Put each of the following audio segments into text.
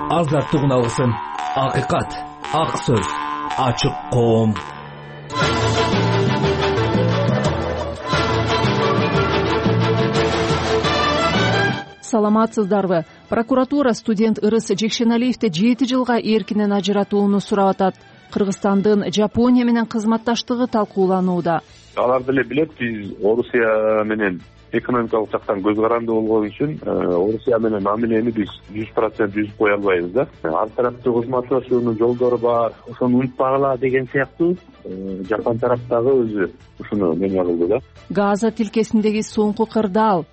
азаттык уналгысын. Акыйкат, ак сөз, ачык коом. Саламатсыздарбы? Прокуратура студент Ырыс Жекшеналиевди 7 жылга эркинен ажыратууну сурап атат. Кыргызстандын Жапония менен кызматташтыгы талкууланууда. Алар деле билет, биз Орусия менен экономикалык жактан көз каранды болгон үчүн Орусия менен мамилени биз 100% түзүп кое албайбыз да. Ар тараптуу кызматташуунун жолдору бар, ошону унутпагыла деген сыяктуу Жапон тараптагы өзү ушуну меңе кылды да. Газа тилкесиндеги соңку кырдаал.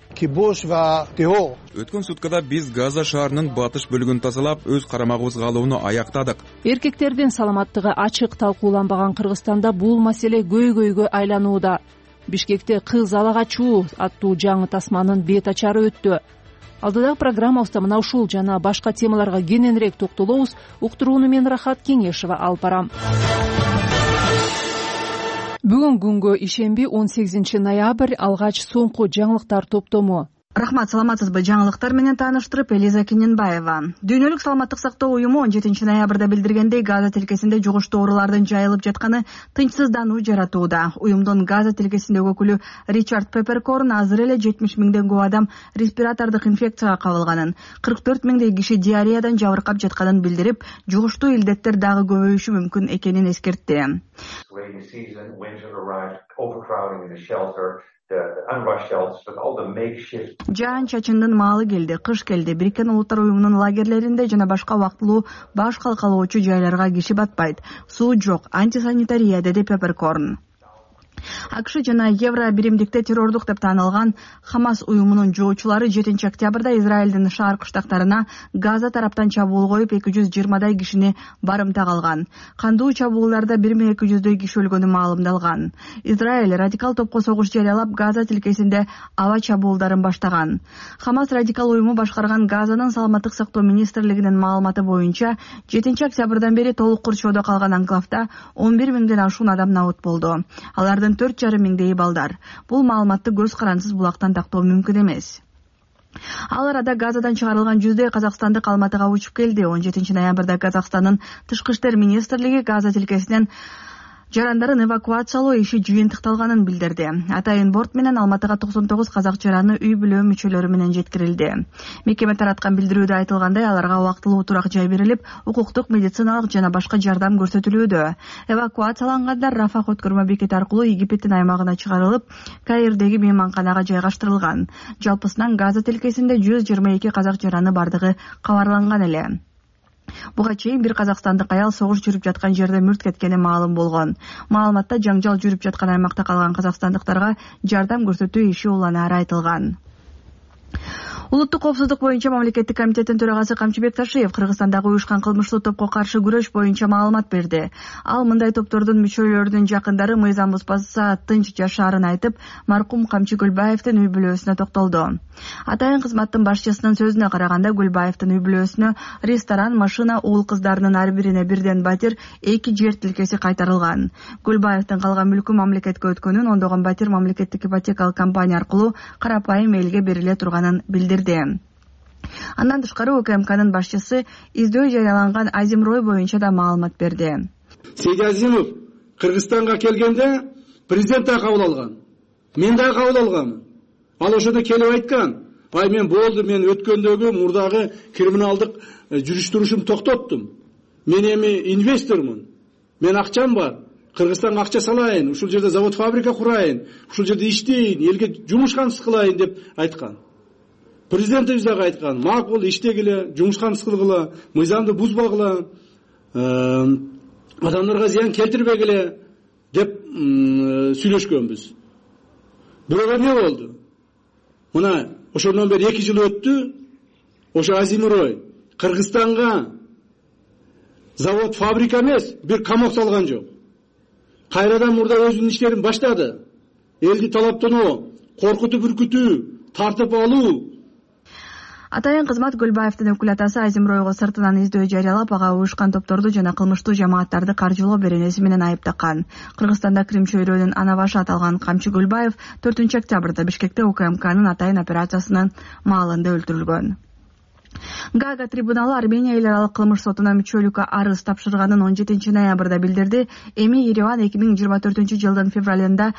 Өткөн суткада биз Газа шаарынын батыш бөлүгүн тазалап, өз карамагыбызга алууну аяктадык. Эркектердин саламаттыгы ачык талкууланбаган Кыргызстанда бул маселе көйгөйгө айланууда. Бишкекте кыз ала качуу аттуу жаңы тасманын бет ачары өттү. Алдыдагы программабызда мына ушул жана башка темаларга кененирээк токтолобуз. Уктурууну мен Рахат Кеңешева алып барам. Бүгүн күнгө ишемби 18 ноябрь алгач соңку жаңылыктар топтому. Рахмат, саламатсызбы? Жаңылыктар менен тааныштырып Элиза Кененбаева. Дүйнөлүк саламаттык сактоо уюму 17 ноябрда билдиргендей, Газа тилкесинде жугуштуу оорулардын жайылып жатканы тынчсыздануу жаратууда. Уюмдун Газа тилкесиндеги өкүлү Ричард Пепперкорн азыр эле 70 миңден көп адам респиратордук инфекцияга кабылганын, 44 миңдей киши диареядан жабыркап жатканын билдирип, жугуштуу илдеттер дагы көбөйүшү мүмкүн экенин эскертти. Жаан-чачындын маалы келди, кыш келди. Бириккен Улуттар уюмунун лагерлеринде жана башка убактылуу баш калкалоочу жайларга киши батпайт. Суу жок, антисанитария, деди Пепперкорн. АКШ жана Евро биримдикте террордук деп таанылган Хамас уюмунун жоочулары 7 октябрда Израилдин шаар кыштактарына Газа тараптан чабуул коюп 220дай кишини барымта калган. Кандуу чабуулдарда 1200дөй киши өлгөнү маалымдалган. Израиль радикал топко согуш жарыялап Газа тилкесинде аба чабуулдарын баштаган. Хамас радикал уюму башкарган Газанын саламаттык сактоо министрлигинин маалыматы боюнча 7 октябрдан бери толук курчоодо калган анклавда 11 миңден ашуун адам набыт болду. Алардын 4,5 миңдей балдар. Бул маалыматты көз карансыз булактан тактоо мүмкүн эмес. Ал арада Газадан чыгарылган 100дөй казакстандык Алматыга учуп келди. 17 ноябрда Казакстандын Тышкы иштер министрлиги Газа тилкесинен жарандарын эвакуациялоо иши жыйынтыкталганын билдирди. Атайын борт менен Алматыга 99 казак жараны үй бүлө мүчөлөрү менен жеткирилди. Мекеме тараткан билдирүүдө айтылгандай, аларга убактылуу турак жай берилип, укуктук, медициналык жана башка жардам көрсөтүлүүдө. Эвакуациялангандар Рафах өткөрмө бекети аркылуу Египтин аймагына чыгарылып, Каирдеги мейманканага жайгаштырылган. Жалпысынан Газа тилкесинде 122 казак жараны бардыгы кабарланган эле. Буга чейин бир казакстандык аял согуш жүрүп жаткан жерде мүрт кеткени маалым болгон. Маалыматта жаңжал жүрүп жаткан аймакта калган казакстандыктарга жардам көрсөтүү иши уланары айтылган. Улуттук коопсуздук боюнча мамлекеттик комитеттин төрагасы Камчыбек Ташиев Кыргызстандагы уюшкан кылмыштуу топко каршы күрөш боюнча маалымат берди. Ал мындай топтордун мүчөлөрүнүн жакындары мыйзам бузбаса тынч жашаарын айтып, маркум Камчы Гүлбаевдин үй бүлөсүнө токтолду. Атайын кызматтын башчысынын сөзүнө караганда, Гүлбаевдин үй бүлөсүнө ресторан, машина, уул кыздарынын ар бирине бірден батир, 2 жер тилкеси кайтарылган. Гүлбаевдин калган мүлкү мамлекетке өткөнүн, ондогон батир мамлекеттик ипотекалык компания аркылуу карапайым элге бериле турганын билдирди. Андан тышкары УКМКнын башчысы издөө жарыяланган Азимрой боюнча да маалымат берди. Сейди Азимов Кыргызстанга келгенде президент да кабыл алган. Мен да кабыл алгам. Ал ошондо келип айткан: "Ай, мен болду, мен өткөндөгү мурдагы криминалдык жүрүш-турушумду токтоттум. Мен эми инвестормун. Мен акчам бар. Кыргызстанга акча салайын, ушул жерде завод фабрика курайын, ушул жерде иштейин, элге жумуш камсыз кылайын" деп айткан. Президентибиз дагы айткан: "Макул, иштегиле, жумуш камсыз кылгыла, мыйзамды бузбагыла, адамдарга зыян келтирбегиле" деп сүйлөшкөнбүз. Бирок эмне болду? Мына ошондон бери 2 жыл өттү. Ошо Азимрой Кыргызстанга завод фабрика эмес, бир камок салган жок. Кайрадан мурда өзүнүн иштерин баштады. Элди талаптануу, коркутуп үркүтүү, тартып алуу. Атайын кызмат Гүлбаевдин өкүлатасы Азимройго сыртынан издөө жарыялап, ага уюшкан топторду жана кылмыштуу жамааттарды каржылоо беренеси менен айыптакан. Кыргызстанда Крим чөйрөнүн ана башы аталган Камчы Гүлбаев 4 октябрда Бишкекте УКМКнын атайын операциясынын маалында өлтүрүлгөн. Гага трибуналы Армения эл аралык кылмыш сотуна мүчөлүккө арыз тапшырганын 17-ноябрда билдирди. Эми Ереван 2024-жылдын февралында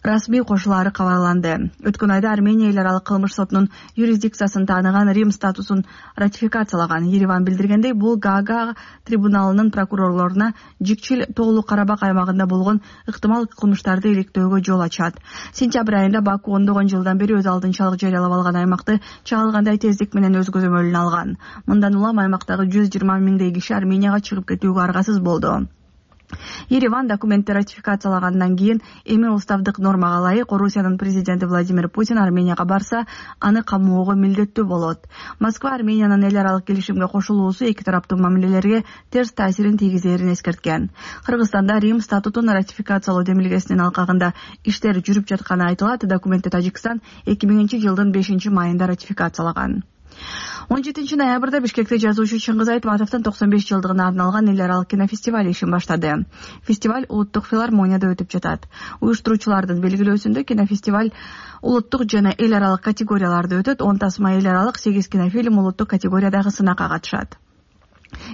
расмий кошулаары кабарланды. Өткөн айда Армения эл аралык кылмыш сотунун юрисдикциясын тааныган Рим статусун ратификациялаган. Ереван билдиргендей, бул Гага трибуналынын прокурорлоруна Жикчил тоолуу Карабак аймагында болгон ыктымал кылмыштарды иликтөөгө жол ачат. Сентябрь айында Баку ондогон жылдан бери өз алдынчалык жарыялап алган аймакты чагылгандай тездик менен өз көзөмөлүнө алган. Мындан улам аймактагы 120 миңдей киши Арменияга чыгып кетүүгө аргасыз болду. Ереван документти ратификациялагандан кийин эми уставдык нормага ылайык Орусиянын президенти Владимир Путин Арменияга барса, аны камоого милдеттүү болот. Москва Армениянын эл аралык келишимге кошулуусу эки тараптуу мамилелерге терс таасирин тийгизерин эскерткен. Кыргызстанда Рим статутун ратификациялоо демилгесинин алкагында иштер жүрүп жатканы айтылат. Документти Тажикстан 2000-жылдын 5-майында ратификациялаган. 17 ноябрда Бишкекте жазуучу Чыңгыз Айтматовдун 95 жылдыгына арналган эл аралык кинофестиваль ишин баштады. Фестиваль улуттук филармонияда өтүп жатат. Уюштуруучулардын белгилөөсүндө кинофестиваль улуттук жана эл аралык категорияларда өтөт. 10 тасма эл аралык, 8 кинофильм улуттук категориядагы сынакка катышат.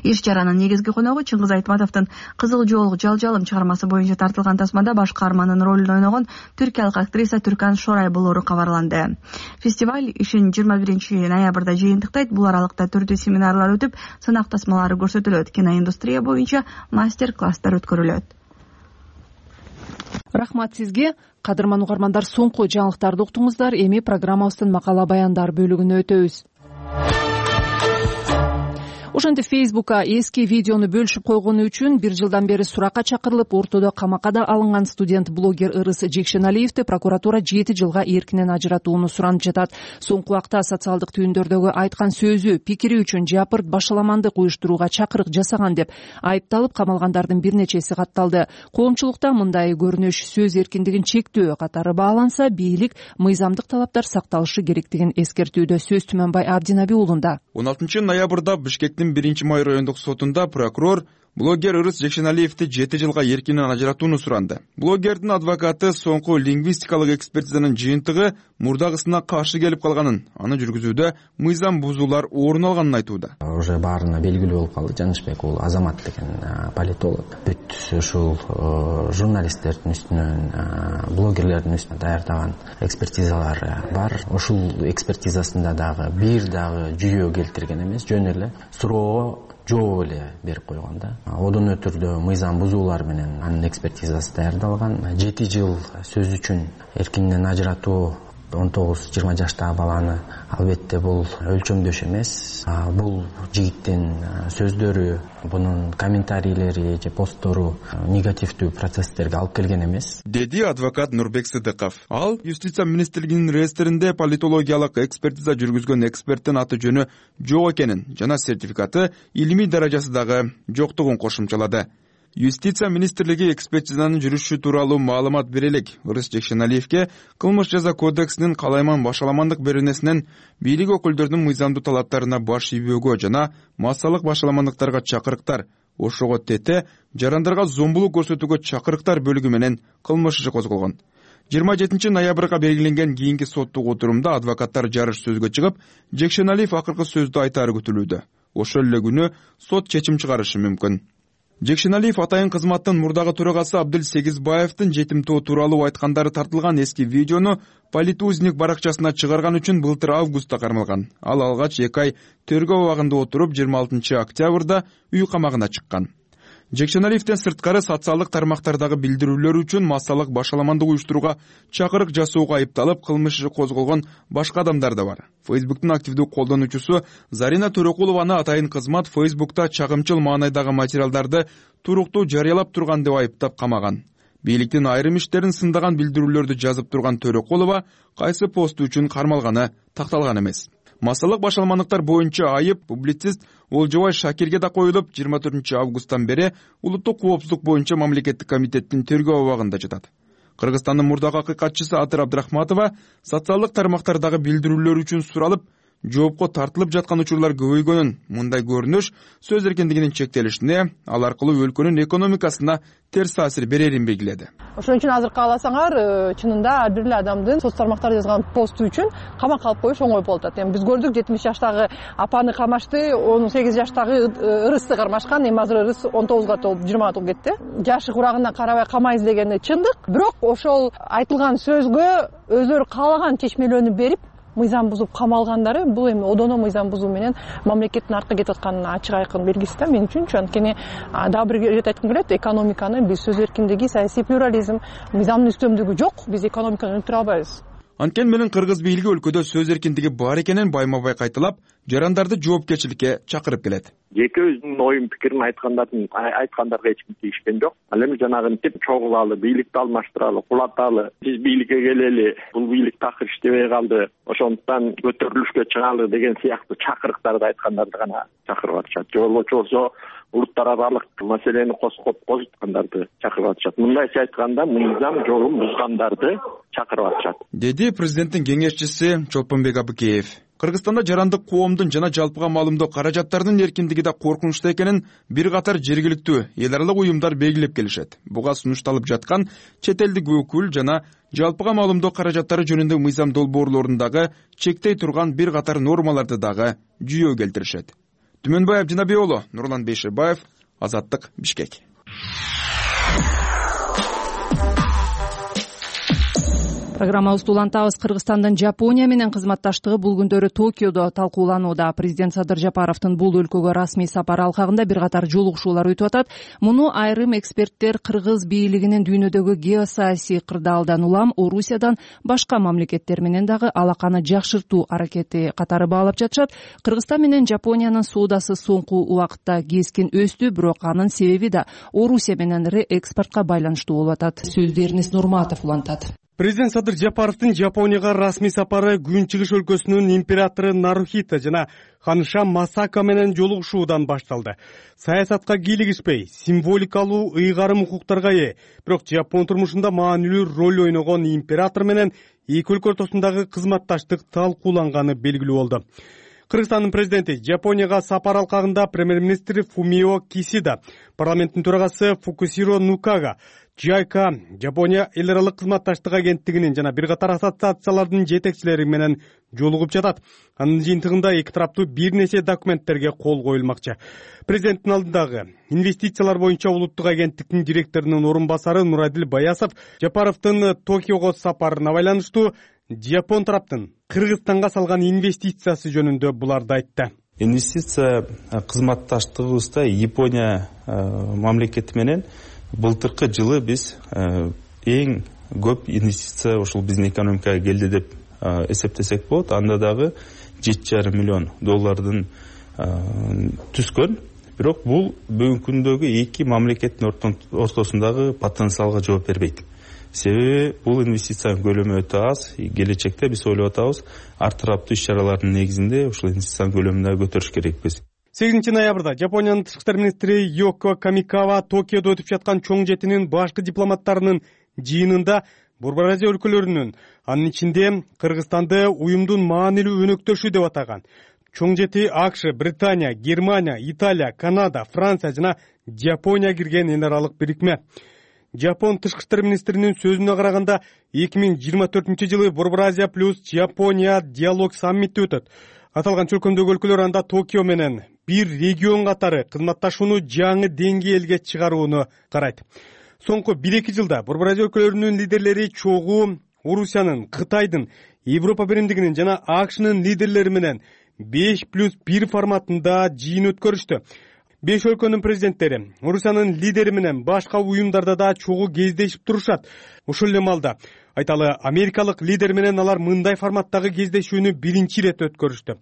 Иш чаранын негизги коногу Чыңгыз Айтматовдун Кызыл жоолук жалжалым чыгармасы боюнча тартылган тасмада баш каармандын ролун ойногон түркиялык актриса Түркан Шорай болору кабарланды. Фестиваль ишин 21 ноябрда жыйынтыктайт. Бул аралыкта түрдүү семинарлар өтүп, сынак тасмалары көрсөтүлөт. Киноиндустрия боюнча мастер-класстар өткөрүлөт. Рахмат сизге. Кадырман угармандар, соңку жаңылыктарды уктуңуздар. Эми программабыздын макала баяндар бөлүгүнө өтөбүз. Ошентип Facebook'a эски видеону бөлүшүп койгону үчүн 1 жылдан бери суракка чакырылып, ортодо камакка да алынган студент-блогер Ырыс Жекшеналиевди прокуратура 7 жылга эркинен ажыратууну суранып жатат. Соңку убакта социалдык түйүндөрдөгү айткан сөзү, пикири үчүн жапырт башаламандык уюштурууга чакырык жасаган деп айыпталып камалгандардын бир нечеси катталды. Коомчулукта мындай көрүнүш сөз эркиндигин чектөө катары бааланса, бийлик мыйзамдык талаптар сакталышы керектигин эскертүүдө. Сөз Түмөнбай Абдинаби уулунда. 16 ноябрда Бишкектин 1-май райондук сотунда прокурор блогер Ырыс Жекшеналиевди 7 жылга эркинен ажыратууну суранды. Блогердин адвокаты соңку лингвистикалык экспертизанын жыйынтыгы мурдагысына каршы келип калганын, аны жүргүзүүдө мыйзам бузуулар орун алганын айтууда. Уже баарына белгилүү болуп калды. Жанышбек ул Азамат деген политолог. Бүт ушул журналисттердин үстүнөн, блогерлердин үстүнө даярдаган экспертизалар бар. Ушул экспертизасында дагы бир дагы жүйө келтирген эмес, жөн эле суроого жооп эле берип койгон да. Одон өтүрдө мыйзам бузуулар менен анын экспертизасы даярдалган. 7 жыл сөз үчүн эркинен ажыратуу 19-20 жаштагы баланы албетте бул өлчөмдөш эмес. Бул жигиттин сөздөрү, бунун комментарийлери же посттору негативдүү процесстерге алып келген эмес, деди адвокат Нурбек Сыдыков. Ал Юстиция министрлигинин реестринде политологиялык экспертиза жүргүзгөн эксперттин аты жөнү жок экенин жана сертификаты илимий даражасы дагы жоктугун кошумчалады. Юстиция министрлиги экспертизанын жүрүшү тууралуу маалымат бере элек. Ырыс Жекшеналиевге кылмыш жаза кодексинин калайман башаламандык беренесинен бийлик өкүлдөрүнүн мыйзамдуу талаптарына баш ийбөөгө жана массалык башаламандыктарга чакырыктар, ошого тете жарандарга зомбулук көрсөтүүгө чакырыктар бөлүгү менен кылмыш иши козголгон. 27 ноябрга белгиленген кийинки соттук отурумда адвокаттар жарыш сөзгө чыгып, Жекшеналиев акыркы сөздү айтаары күтүлүүдө. Ошол эле күнү сот чечим чыгарышы мүмкүн. Жекшеналиев атайын кызматтын мурдагы төрагасы Абдыл Сегизбаевдин жетимтоо тууралуу айткандары тартылган эски видеону Политузник баракчасына чыгарган үчүн былтыр августта кармалган. Ал алгач 2 ай тергөө абагында отуруп 26 октябрда үй камагына чыккан. Жекшеналиевден сырткары социалдык тармактардагы билдирүүлөр үчүн массалык башаламандык уюштурууга чакырык жасоого айыпталып, кылмыш иши козголгон башка адамдар да бар. Facebook'тун активдүү колдонуучусу Зарина Төрөкулованы атайын кызмат Facebook'та чагымчыл маанайдагы материалдарды туруктуу жарыялап турган деп айыптап камаган. Бийликтин айрым иштерин сындаган билдирүүлөрдү жазып турган Төрөкулова кайсы посту үчүн кармалганы такталган эмес. Массалык башаламандыктар боюнча айып публицист Олжобай Шакирге да коюлуп, 24 августтан бери улуттук коопсуздук боюнча мамлекеттик комитеттин тергөө абагында жатат. Кыргызстандын мурдагы акыйкатчысы Атыр Абдрахматова социалдык тармактардагы билдирүүлөр үчүн суралып, жоопко тартылып жаткан учурлар көбөйгөнүн, мындай көрүнүш сөз эркиндигинин чектелишине, ал аркылуу өлкөнүн экономикасына терс таасир берерин белгиледи. Ошон үчүн азыр кааласаңар, чынында ар бир эле адамдын соц тармактарда жазган посту үчүн камакка алып коюш оңой болуп атат. Эми биз көрдүк 70 жаштагы апаны камашты, 18 жаштагы ырысты кармашкан, эми азыр ырыс 19 толуп 20 толуп кетти. Жашы курагына карабай камайбыз дегени чындык, бирок ошол айтылган сөзгө өздөрү каалаган чечмелөөнү берип мыйзам бузуп камалгандары бул эми одоно мыйзам бузуу менен мамлекеттин артка кетип атканынын ачык айкын белгиси да мен үчүнчү. Анткени дагы бир ирет айткым келет, экономиканы биз сөз эркиндиги, саясий плюрализм, мыйзамдын үстөмдүгү жок, биз экономиканы өнүктүрө албайбыз. Анткени менен кыргыз бийлиги өлкөдө сөз эркиндиги бар экенин байма-бай кайталап, жарандарды жоопкерчиликке чакырып келет. Жеке өзүнүн оюн пикирин айткандарга эч ким тийишкен жок. Ал эми жанагынтип чогулалы, бийликти алмаштыралы, кулаталы, биз бийликке келели, бул бийлик такыр иштебей калды, ошондуктан көтөрүлүшкө чыгалы деген сыяктуу чакырыктарды айткандарды гана чакырып атышат. Же болбосо улуттар аралык маселени козуткандарды чакырып атышат. Мындайча айтканда мыйзам жолун бузгандарды чакырып атышат, деди президенттин кеңешчиси Чолпонбек Абыкеев. Кыргызстанда жарандык коомдун жана жалпыга маалымдоо каражаттарынын эркиндиги да коркунучтуу экенин бир катар жергиликтүү эл аралык уюмдар белгилеп келишет. Буга сунушталып жаткан чет элдик өкүл жана жалпыга маалымдоо каражаттары жөнүндө мыйзам долбоорлорундагы чектей турган бир катар нормаларды дагы жүйө келтиришет. Түмөнбай Абдинабий уулу, Нурлан Бейшебаев, Азаттык, Бишкек. Программабызды улантабыз. Кыргызстандын Жапония менен кызматташтыгы бул күндөрү Токиодо талкууланууда. Президент Садыр Жапаровдун бул өлкөгө расмий сапары алкагында бир катар жолугушуулар өтүп атат. Муну айрым эксперттер кыргыз бийлигинин дүйнөдөгү геосаясий кырдаалдан улам Орусиядан башка мамлекеттер менен дагы алаканы жакшыртуу аракети катары баалап жатышат. Кыргызстан менен Жапониянын соодасы соңку убакытта кескин өстү, бирок анын себеби да Орусия менен реэкспортко байланыштуу болуп атат. Сөздү Эрнест Нурматов улантат. Президент Садыр Жапаровдун Жапонияга расмий сапары Күнчыгыш өлкөсүнүн императору Нарухито жана ханша Масака менен жолугушуудан башталды. Саясатка кийлигишпей, символикалуу ыйгарым укуктарга ээ, бирок Жапон турмушунда маанилүү роль ойногон император менен эки өлкө ортосундагы кызматташтык талкууланганы белгилүү болду. Кыргызстандын президенти Жапонияга сапар алкагында премьер-министри Фумио Кисида, парламенттин төрагасы Фукусиро Нукага, JICA, Жапония эл аралык кызматташтык агенттигинин жана бир катар ассоциациялардын жетекчилери менен жолугуп жатат. Анын жыйынтыгында эки тараптуу бир нече документтерге кол коюлмакчы. Президенттин алдындагы инвестициялар боюнча улуттук агенттиктин директорунун орун басары Нурадил Баясов Жапаровдун Токиого сапарына байланыштуу Жапон тараптын Кыргызстанга салган инвестициясы жөнүндө буларды айтты. Инвестиция кызматташтыгыбызда Япония мамлекети менен былтыркы жылы биз эң көп инвестиция ушул биздин экономикага келди деп эсептесек болот. Анда дагы $7,5 миллион түскөн. Бирок бул бүгүнкү күндөгү эки мамлекеттин ортосундагы потенциалга жооп бербейт. Себеби бул инвестициянын көлөмү өтө аз. Келечекте биз ойлоп атабыз, ар тараптуу иш-чаралардын негизинде ушул инвестициянын көлөмүн да көтөрүш керекпиз. 8 ноябрда Жапониянын тышкы иштер министри Йоко Камикава Токиодо өтүп жаткан чоң жетинин башкы дипломаттарынын жыйынында Борбор Азия өлкөлөрүнүн, анын ичинде Кыргызстанды уюмдун маанилүү өнөктөшү деп атаган. Чоң жети АКШ, Британия, Германия, Италия, Канада, Франция жана Жапония кирген эл аралык бирикме. Жапон тышкы иштер министринин сөзүнө караганда 2024-жылы Борбор Азия плюс Жапония диалог саммити өтөт. Аталган чөлкөмдөгү өлкөлөр анда Токио менен бир регион катары кызматташууну жаңы деңгээлге чыгарууну карайт. Соңку 1-2 жылда Борбор Азия өлкөлөрүнүн лидерлери чогуу Орусиянын, Кытайдын, Европа биримдигинин жана АКШнын лидерлери менен 5+1 форматында жыйын өткөрүштү. 5 өлкөнүн президенттери Орусиянын лидери менен башка уюмдарда да чогуу кездешип турушат. Ушул эле маалда айталы америкалык лидер менен алар мындай форматтагы кездешүүнү биринчи ирет өткөрүштү.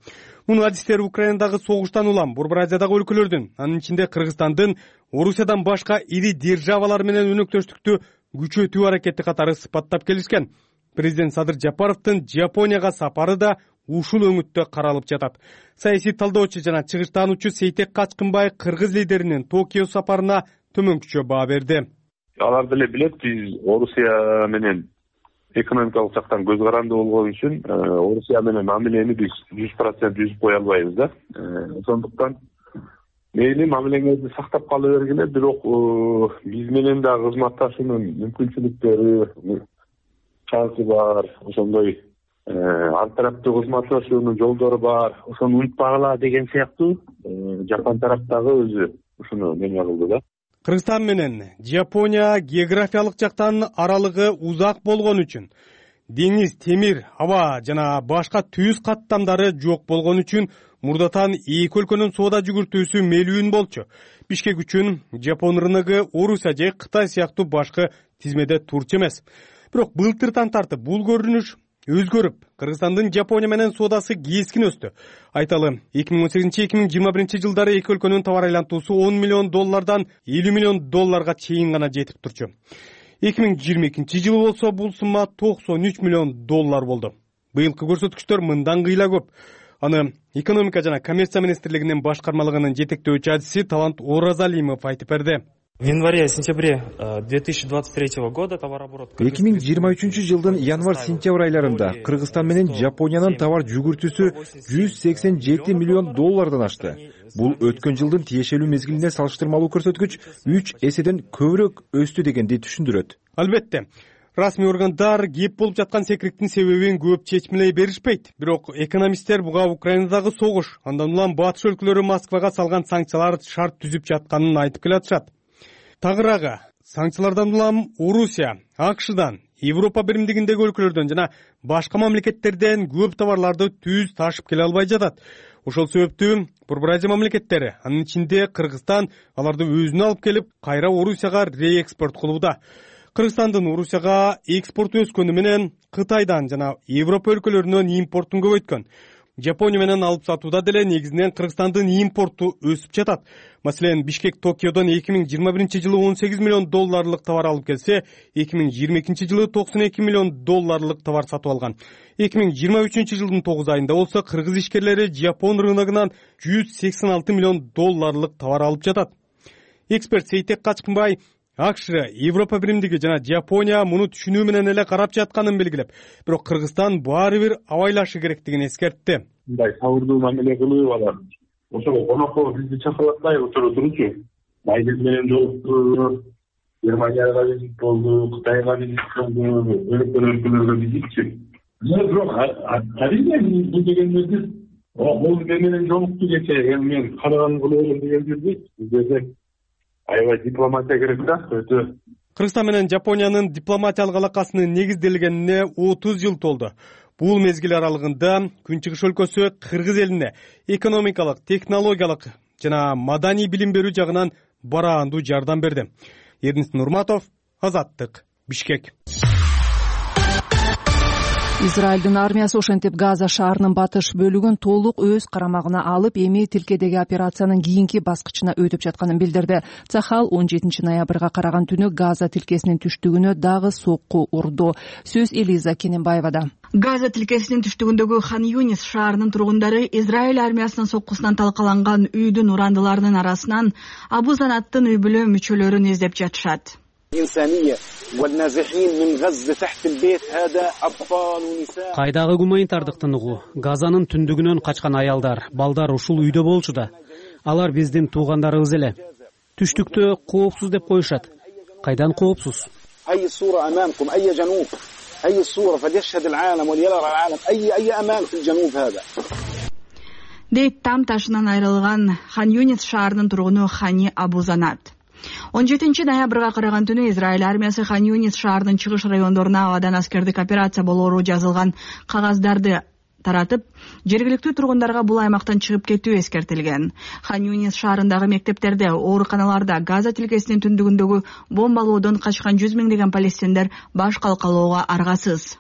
Муну адистер Украинадагы согуштан улам Борбор Азиядагы өлкөлөрдүн, анын ичинде Кыргызстандын Орусиядан башка ири державалар менен өнөктөштүктү күчөтүү аракети катары сыпаттап келишкен. Президент Садыр Жапаровдун Жапонияга сапары да ушул өңүттө каралып жатат. Саясий талдоочу жана чыгыштаануучу Сейтек Качкынбай кыргыз лидеринин Токио сапарына төмөнкүчө баа берди. Алар деле билет, биз Орусия менен экономикалык жактан көз каранды болгон үчүн Орусия менен мамилени биз 100% түзүп кое албайбыз да. Ошондуктан мейли мамилеңерди сактап кала бергиле, бирок биз менен да кызматташуунун мүмкүнчүлүктөрү шансы бар, ошондой ар тараптуу кызматташуунун жолдору бар. Ошону унутпагыла деген сыяктуу Жапон тараптагы өзү ушуну неме кылды да. Кыргызстан менен Жапония географиялык жактан аралыгы узак болгон үчүн, деңиз, темир, аба жана башка түз каттамдары жок болгон үчүн мурдатан эки өлкөнүн соода жүгүртүүсү мелүүн болчу. Бишкек үчүн Жапон рыногу Орусия же Кытай сыяктуу башкы тизмеде турчу эмес. Бирок былтыртан тартып бул көрүнүш өзгөрүп, Кыргызстандын Жапония менен соодасы кескин өстү. Айталы, 2018-2021 жылдары эки өлкөнүн товар айлантуусу $10 миллион $50 миллион чейин гана жетип турчу. 2022 жылы болсо бул сумма $93 миллион болду. Быйылкы көрсөткүчтөр мындан кыйла көп. Аны экономика жана коммерция министрлигинин башкармалыгынын жетектөөчү адиси Талант Оразалимов айтып берди. В январе-сентябре 2023 года товарооборот 2023 жылдын январь-сентябрь айларында Кыргызстан менен Жапониянын товар жүгүртүүсү $187 миллион ашты. Бул өткөн жылдын тиешелүү мезгилине салыштырмалуу көрсөткүч 3 эседен көбүрөөк өстү дегенди түшүндүрөт. Албетте, расмий органдар кеп болуп жаткан секириктин себебин көп чечмелей беришпейт. Бирок экономисттер буга Украинадагы согуш, андан улам батыш өлкөлөрү Москвага салган санкциялар шарт түзүп жатканын айтып келатышат. Тагыраагы, санкциялардан улам Орусия, АКШдан, Европа биримдигиндеги өлкөлөрдөн жана башка мамлекеттерден көп товарларды түз ташып келе албай жатат. Ошол себептүү Борбор Азия мамлекеттери, анын ичинде Кыргызстан, аларды өзүнө алып келип, кайра Орусияга реэкспорт кылууда. Кыргызстандын Орусияга экспорту өскөнү менен Кытайдан жана Европа өлкөлөрүнөн импортун көбөйткөн. Жапония менен алып сатууда деле негизинен Кыргызстандын импорту өсүп жатат. Маселен, Бишкек Токиодон 2021 жылы $18 миллион товар алып келсе, 2022 жылы $92 миллион товар сатып алган. 2023 жылдын 9 айында болсо кыргыз ишкерлери Жапон рыногунан $186 миллион товар алып жатат. Эксперт Сейтек Качкынбай АКШ, Европа биримдиги жана Жапония муну түшүнүү менен эле карап жатканын белгилеп, бирок Кыргызстан баары бир абайлашы керектигин эскертти. Мындай сабырдуу мамиле кылып алат. Ошого конокко бизди чакырбай отуручу. Байден менен жолукту, Германияга визит болду, Кытайга визит болду, өлкөлөргө визитчи. Бирок арийне бул дегенди бул менен жолукту кечээ, мен караган кылып деген жерде бизде аябай дипломатия керек да, өтө. Кыргызстан менен Жапониянын дипломатиялык алакасынын негизделгенине 30 жыл толду. Бул мезгил аралыгында Күнчүгүш өлкөсү кыргыз элине экономикалык, технологиялык жана маданий билим берүү жагынан бараандуу жардам берди. Эрнис Нурматов, Азаттык, Бишкек. Израилдин армиясы ошентип Газа шаарынын батыш бөлүгүн толук өз карамагына алып, эми тилкедеги операциянын кийинки баскычына өтүп жатканын билдирди. Цахал 17 ноябрга караган түнү Газа тилкесинин түштүгүнө дагы сокку урду. Сөз Элиза Кененбаевада. Газа тилкесинин түштүгүндөгү Хан Юнис шаарынын тургундары Израиль армиясынын соккусунан талкаланган үйдүн урандыларынын арасынан Абу Занаттын үй бүлө мүчөлөрүн издеп жатышат. Кайдагы гуманитардыктын угу, Газанын түндүгүнөн качкан аялдар, балдар ушул үйдө болчу да. Алар биздин туугандарыбыз эле. Түштүктө коопсуз деп коюшат. Кайдан коопсуз? Дейт там ташынан айрылган Хан Юнис шаарынын тургуну Хани Абу Занат. 17 ноябрга караган түнү Израиль армиясы Хан Юнис шаарынын чыгыш райондоруна абадан аскердик операция болоору жазылган кагаздарды таратып, жергиликтүү тургундарга бул аймактан чыгып кетүү эскертилген. Хан Юнис шаарындагы мектептерде, ооруканаларда, Газа тилкесинин түндүгүндөгү бомбалоодон качкан 100 миңдеген палестиндер баш калкалоого аргасыз.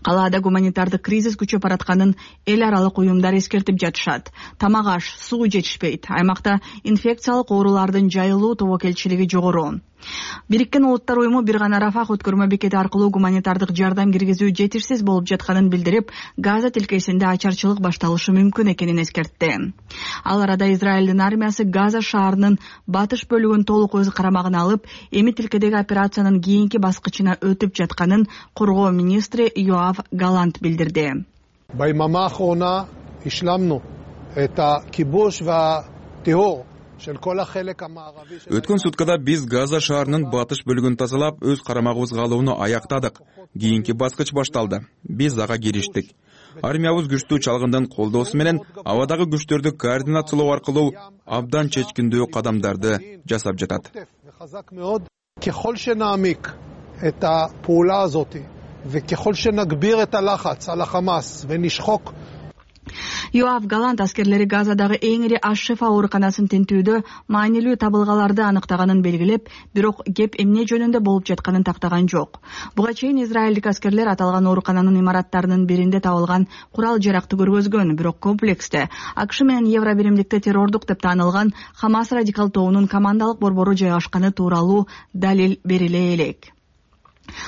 Калаада гуманитардык кризис күчөп баратканын эл аралык уюмдар эскертип жатышат. Тамак аш, суу жетишпейт. Аймакта инфекциялык оорулардын жайылуу тобокелчилиги жогору. Бириккен Улуттар уюму бир гана Рафах өткөрмө бекети аркылуу гуманитардык жардам киргизүү жетишсиз болуп жатканын билдирип, Газа тилкесинде ачарчылык башталышы мүмкүн экенин эскертти. Ал арада Израилдин армиясы Газа шаарынын батыш бөлүгүн толук өз карамагына алып, эми тилкедеги операциянын кийинки баскычына өтүп жатканын коргоо министри Йоав Галант билдирди. ביממה האחרונה השלמנו את הכיבוש והטרור של כל החלק המערבי. Өткөн суткада биз Газа шаарынын батыш бөлүгүн тазалап, өз карамагыбызга алууну аяктадык. Кийинки баскыч башталды. Биз ага кириштик. Армиябыз күчтүү чалгындын колдоосу менен абадагы күчтөрдү координациялоо аркылуу абдан чечкиндүү кадамдарды жасап жатат. ככל שנעמיק את הפעולה הזאת וככל שנגביר את הלחץ על החמאס ונשחוק. Йоав Галант аскерлери Газадагы эң ири аш шифа ооруканасын тинтүүдө маанилүү табылгаларды аныктаганын белгилеп, бирок кеп эмне жөнүндө болуп жатканын тактаган жок. Буга чейин израилдик аскерлер аталган оорукананын имараттарынын биринде табылган курал жаракты көргөзгөн, бирок комплексте АКШ менен Евробиримдикте террордук деп таанылган Хамас радикал тобунун командалык борбору жайгашканы тууралуу далил бериле элек.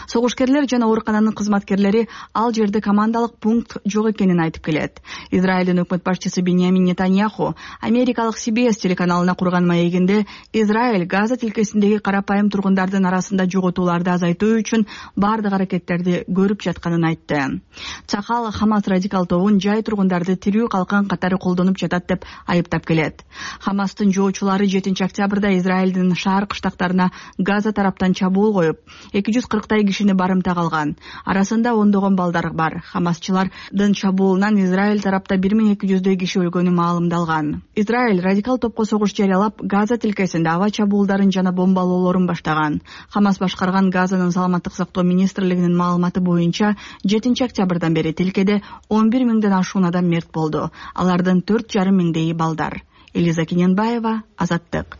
Согушкерлер жана оорукананын кызматкерлери ал жерде командалык пункт жок экенин айтып келет. Израилдин өкмөт башчысы Беньямин Нетаньяху америкалык CBS телеканалына курган маегинде Израиль Газа тилкесиндеги карапайым тургундардын арасында жоготууларды азайтуу үчүн бардык аракеттерди көрүп жатканын айтты. Цахал Хамас радикал тобун жай тургундарды тирүү калкан катары колдонуп жатат деп айыптап келет. Хамастын жоочулары 7 октябрда Израилдин шаар кыштактарына Газа тараптан чабуул коюп, 240 кишини барымта калган. Арасында ондогон балдар бар. Хамасчылардын чабуулунан Израиль тарапта 1200 киши өлгөнү маалымдалган. Израиль радикал топко согуш жарыялап, Газа тилкесинде аба чабуулдарын жана бомбалоолорун баштаган. Хамас башкарган Газанын саламаттык сактоо министрлигинин маалыматы боюнча 7 октябрдан бери тилкеде 11 миңден ашуун адам мерт болду. Алардын 4,5 миңдеги балдар. Элиза Кененбаева, Азаттык.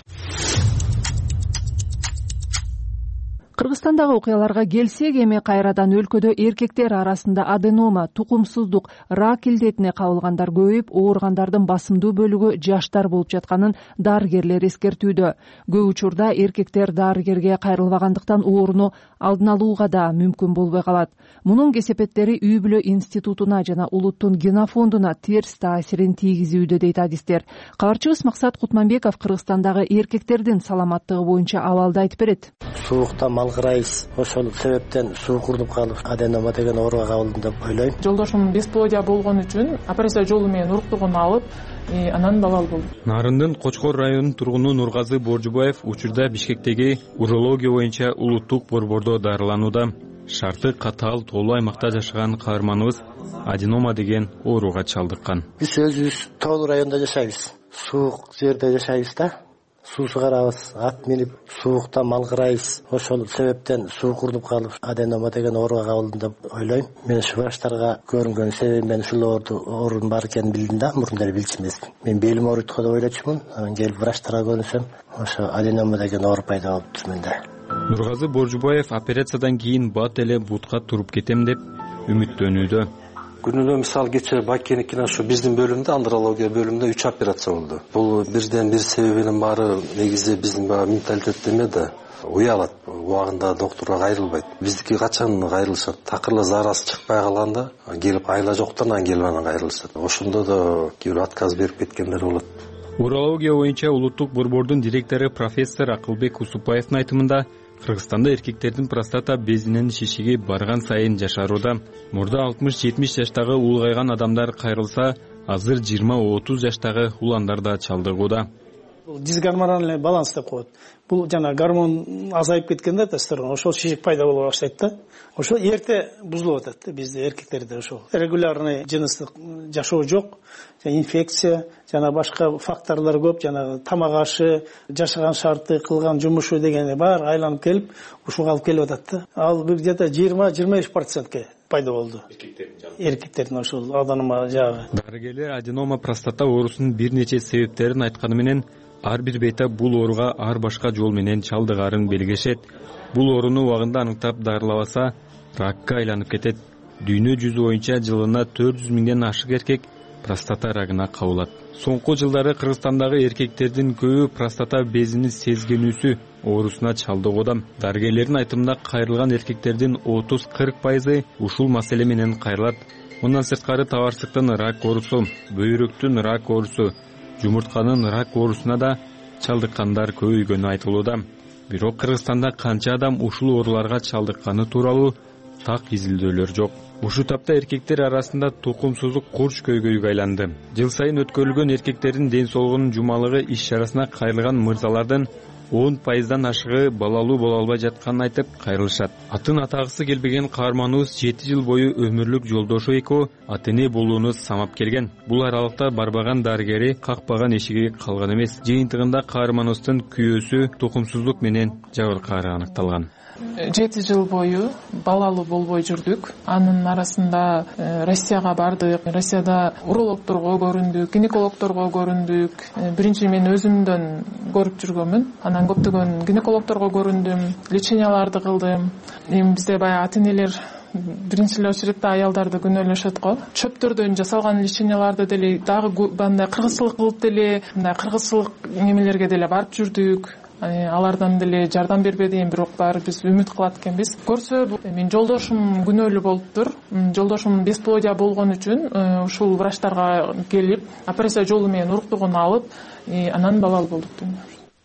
Кыргызстандагы окуяларга келсек, эми кайрадан өлкөдө эркектер арасында аденома, тукумсуздук, рак илдетине кабылгандар көбөйүп, ооругандардын басымдуу бөлүгү жаштар болуп жатканын дарыгерлер эскертүүдө. Көп учурда эркектер дарыгерге кайрылбагандыктан ооруну алдын алууга да мүмкүн болбой калат. Мунун кесепеттери үй бүлө институтуна жана улуттун генофондуна терс таасирин тийгизүүдө, дейт адистер. Кабарчыбыз Максат Кутманбеков Кыргызстандагы эркектердин саламаттыгы боюнча абалды айтып берет. Суукта малгырайбыз, ошол себептен суук уруп калып, аденома деген ооруга кабылдым деп ойлойм. Жолдошум бесплодия болгон үчүн операция жолу менен уруктугун алып, анан балал болду. Нарындын Кочкор районунун тургуну Нургазы Боржубаев учурда Бишкектеги урология боюнча улуттук борбордо дарыланууда. Шарты катаал тоолуу аймакта жашаган каарманыбыз аденома деген ооруга чалдыккан. Биз өзүбүз тоолуу райондо жашайбыз. Суук жерде жашайбыз да. Суусу карабыз, ат минип, суукта малгырайбыз. Ошол себептен суук уруп калып, аденома деген ооруга кабылдым деп ойлойм. Мен ушу врачтарга көрүнгөн себебим мен ушул оорунун бар экенин билдим да, мурун эле билчү эмесмин. Мен белим ооруйт го деп ойлочумун. Анан келип врачтарга көрүнсөм, ошо аденома деген оору пайда болуптур менде. Нургазы Боржубаев операциядан кийин бат эле бутка туруп кетем деп үмүттөнүүдө. Күнүнө мисалы кечээ Бакеникин ошо биздин бөлүмдө, андрология бөлүмүндө 3 операция болду. Бул бирден бир себебинин баары негизи биздин менталитетте эме да, уялат. Убагында доктурга кайрылбайт. Биздики качан кайрылышат? Такырла зарасы чыкпай калганда, келип айла жоктан анан келип анан кайрылышат. Ошондо да кээ бир отказ берип кеткендер болот. Урология боюнча улуттук борбордун директору профессор Акылбек Усупаевдин айтымында, Кыргызстанда эркектердин простата безинин шишиги барган сайын жашарууда. Мурда 60-70 жаштагы улгайган адамдар кайрылса, азыр 20-30 жаштагы уландар да чалдыгууда. Дисгормональный баланс деп коет. Бул жана гормон азайып кеткенде тестостерон, ошол шишик пайда боло баштайт да. Ошол эрте бузулуп атат да бизде эркектерде ошол. Регулярный жыныстык жашоо жок, инфекция, жана башка факторлор көп, жана тамак ашы, жашаган шарты, кылган жумушу дегени бар айланып келип, ушуга алып келип атат да. Ал где-то 20-25% пайда болду. Эркектердин ошол аденома жагы. Дарыгерлер аденома простата оорусунун бир нече себептерин айтканы менен, ар бир бейтап бул ооруга ар башка жол менен чалдыгарын белгилешет. Бул ооруну убагында аныктап дарылабаса, ракка айланып кетет. Дүйнө жүзү боюнча жылына 400 миңден ашык эркек простата рагына кабылат. Соңку жылдары Кыргызстандагы эркектердин көбү простата безини сезгенүүсү оорусуна чалдыгууда. Дарыгерлердин айтымында кайрылган эркектердин 30-40% ушул маселе менен кайрылат. Мындан сырткары табарсыздыктын рак оорусу, бөйрөктүн рак оорусу, жумуртканын рак оорусуна да чалдыккандар көбөйгөнү айтылууда. Бирок Кыргызстанда канча адам ушул ооруларга чалдыкканы тууралуу так изилдөөлөр жок. Ушул тапта эркектер арасында тукумсуздук курч көйгөйгө айланды. Жыл сайын өткөрүлгөн эркектердин ден соолугунун жумалыгы иш-чарасына кайрылган мырзалардын 10%дан ашыгы балалуу боло албай жатканын айтып кайрылышат. Атын атагысы келбеген каарманыбыз 7 жыл бою өмүрлүк жолдошу экөө ата-эне болууну самап келген. Бул аралыкта барбаган дарыгери какпаган эшиги калган эмес. Жыйынтыгында каарманыбыздын күйөөсү тукумсуздук менен жабыркаары аныкталган. 7 жыл бою балалуу болбой жүрдүк. Анын арасында Россияга бардык. Россияда урологторго көрүндүк, гинекологторго көрүндүк. Биринчи мен өзүмдөн көрүп жүргөнмүн. Анан көптөгөн гинекологторго көрүндүм, леченияларды кылдым. Эми бизде баягы ата-энелер биринчи очередде аялдарды күнөөлөшөт го. Чөптөрдөн жасалган леченияларды деле дагы мындай кыргызчылык кылып деле, мындай кыргызчылык немелерге деле барып жүрдүк. Алардан деле жардам бербеди, бирок баары биз үмүт кылат экенбиз. Көрсө менин жолдошум күнөөлүү болуптур. Жолдошум бесплодия болгон үчүн ушул врачтарга келип, операция жолу менен уруктугун алып, анан балалуу болуптур.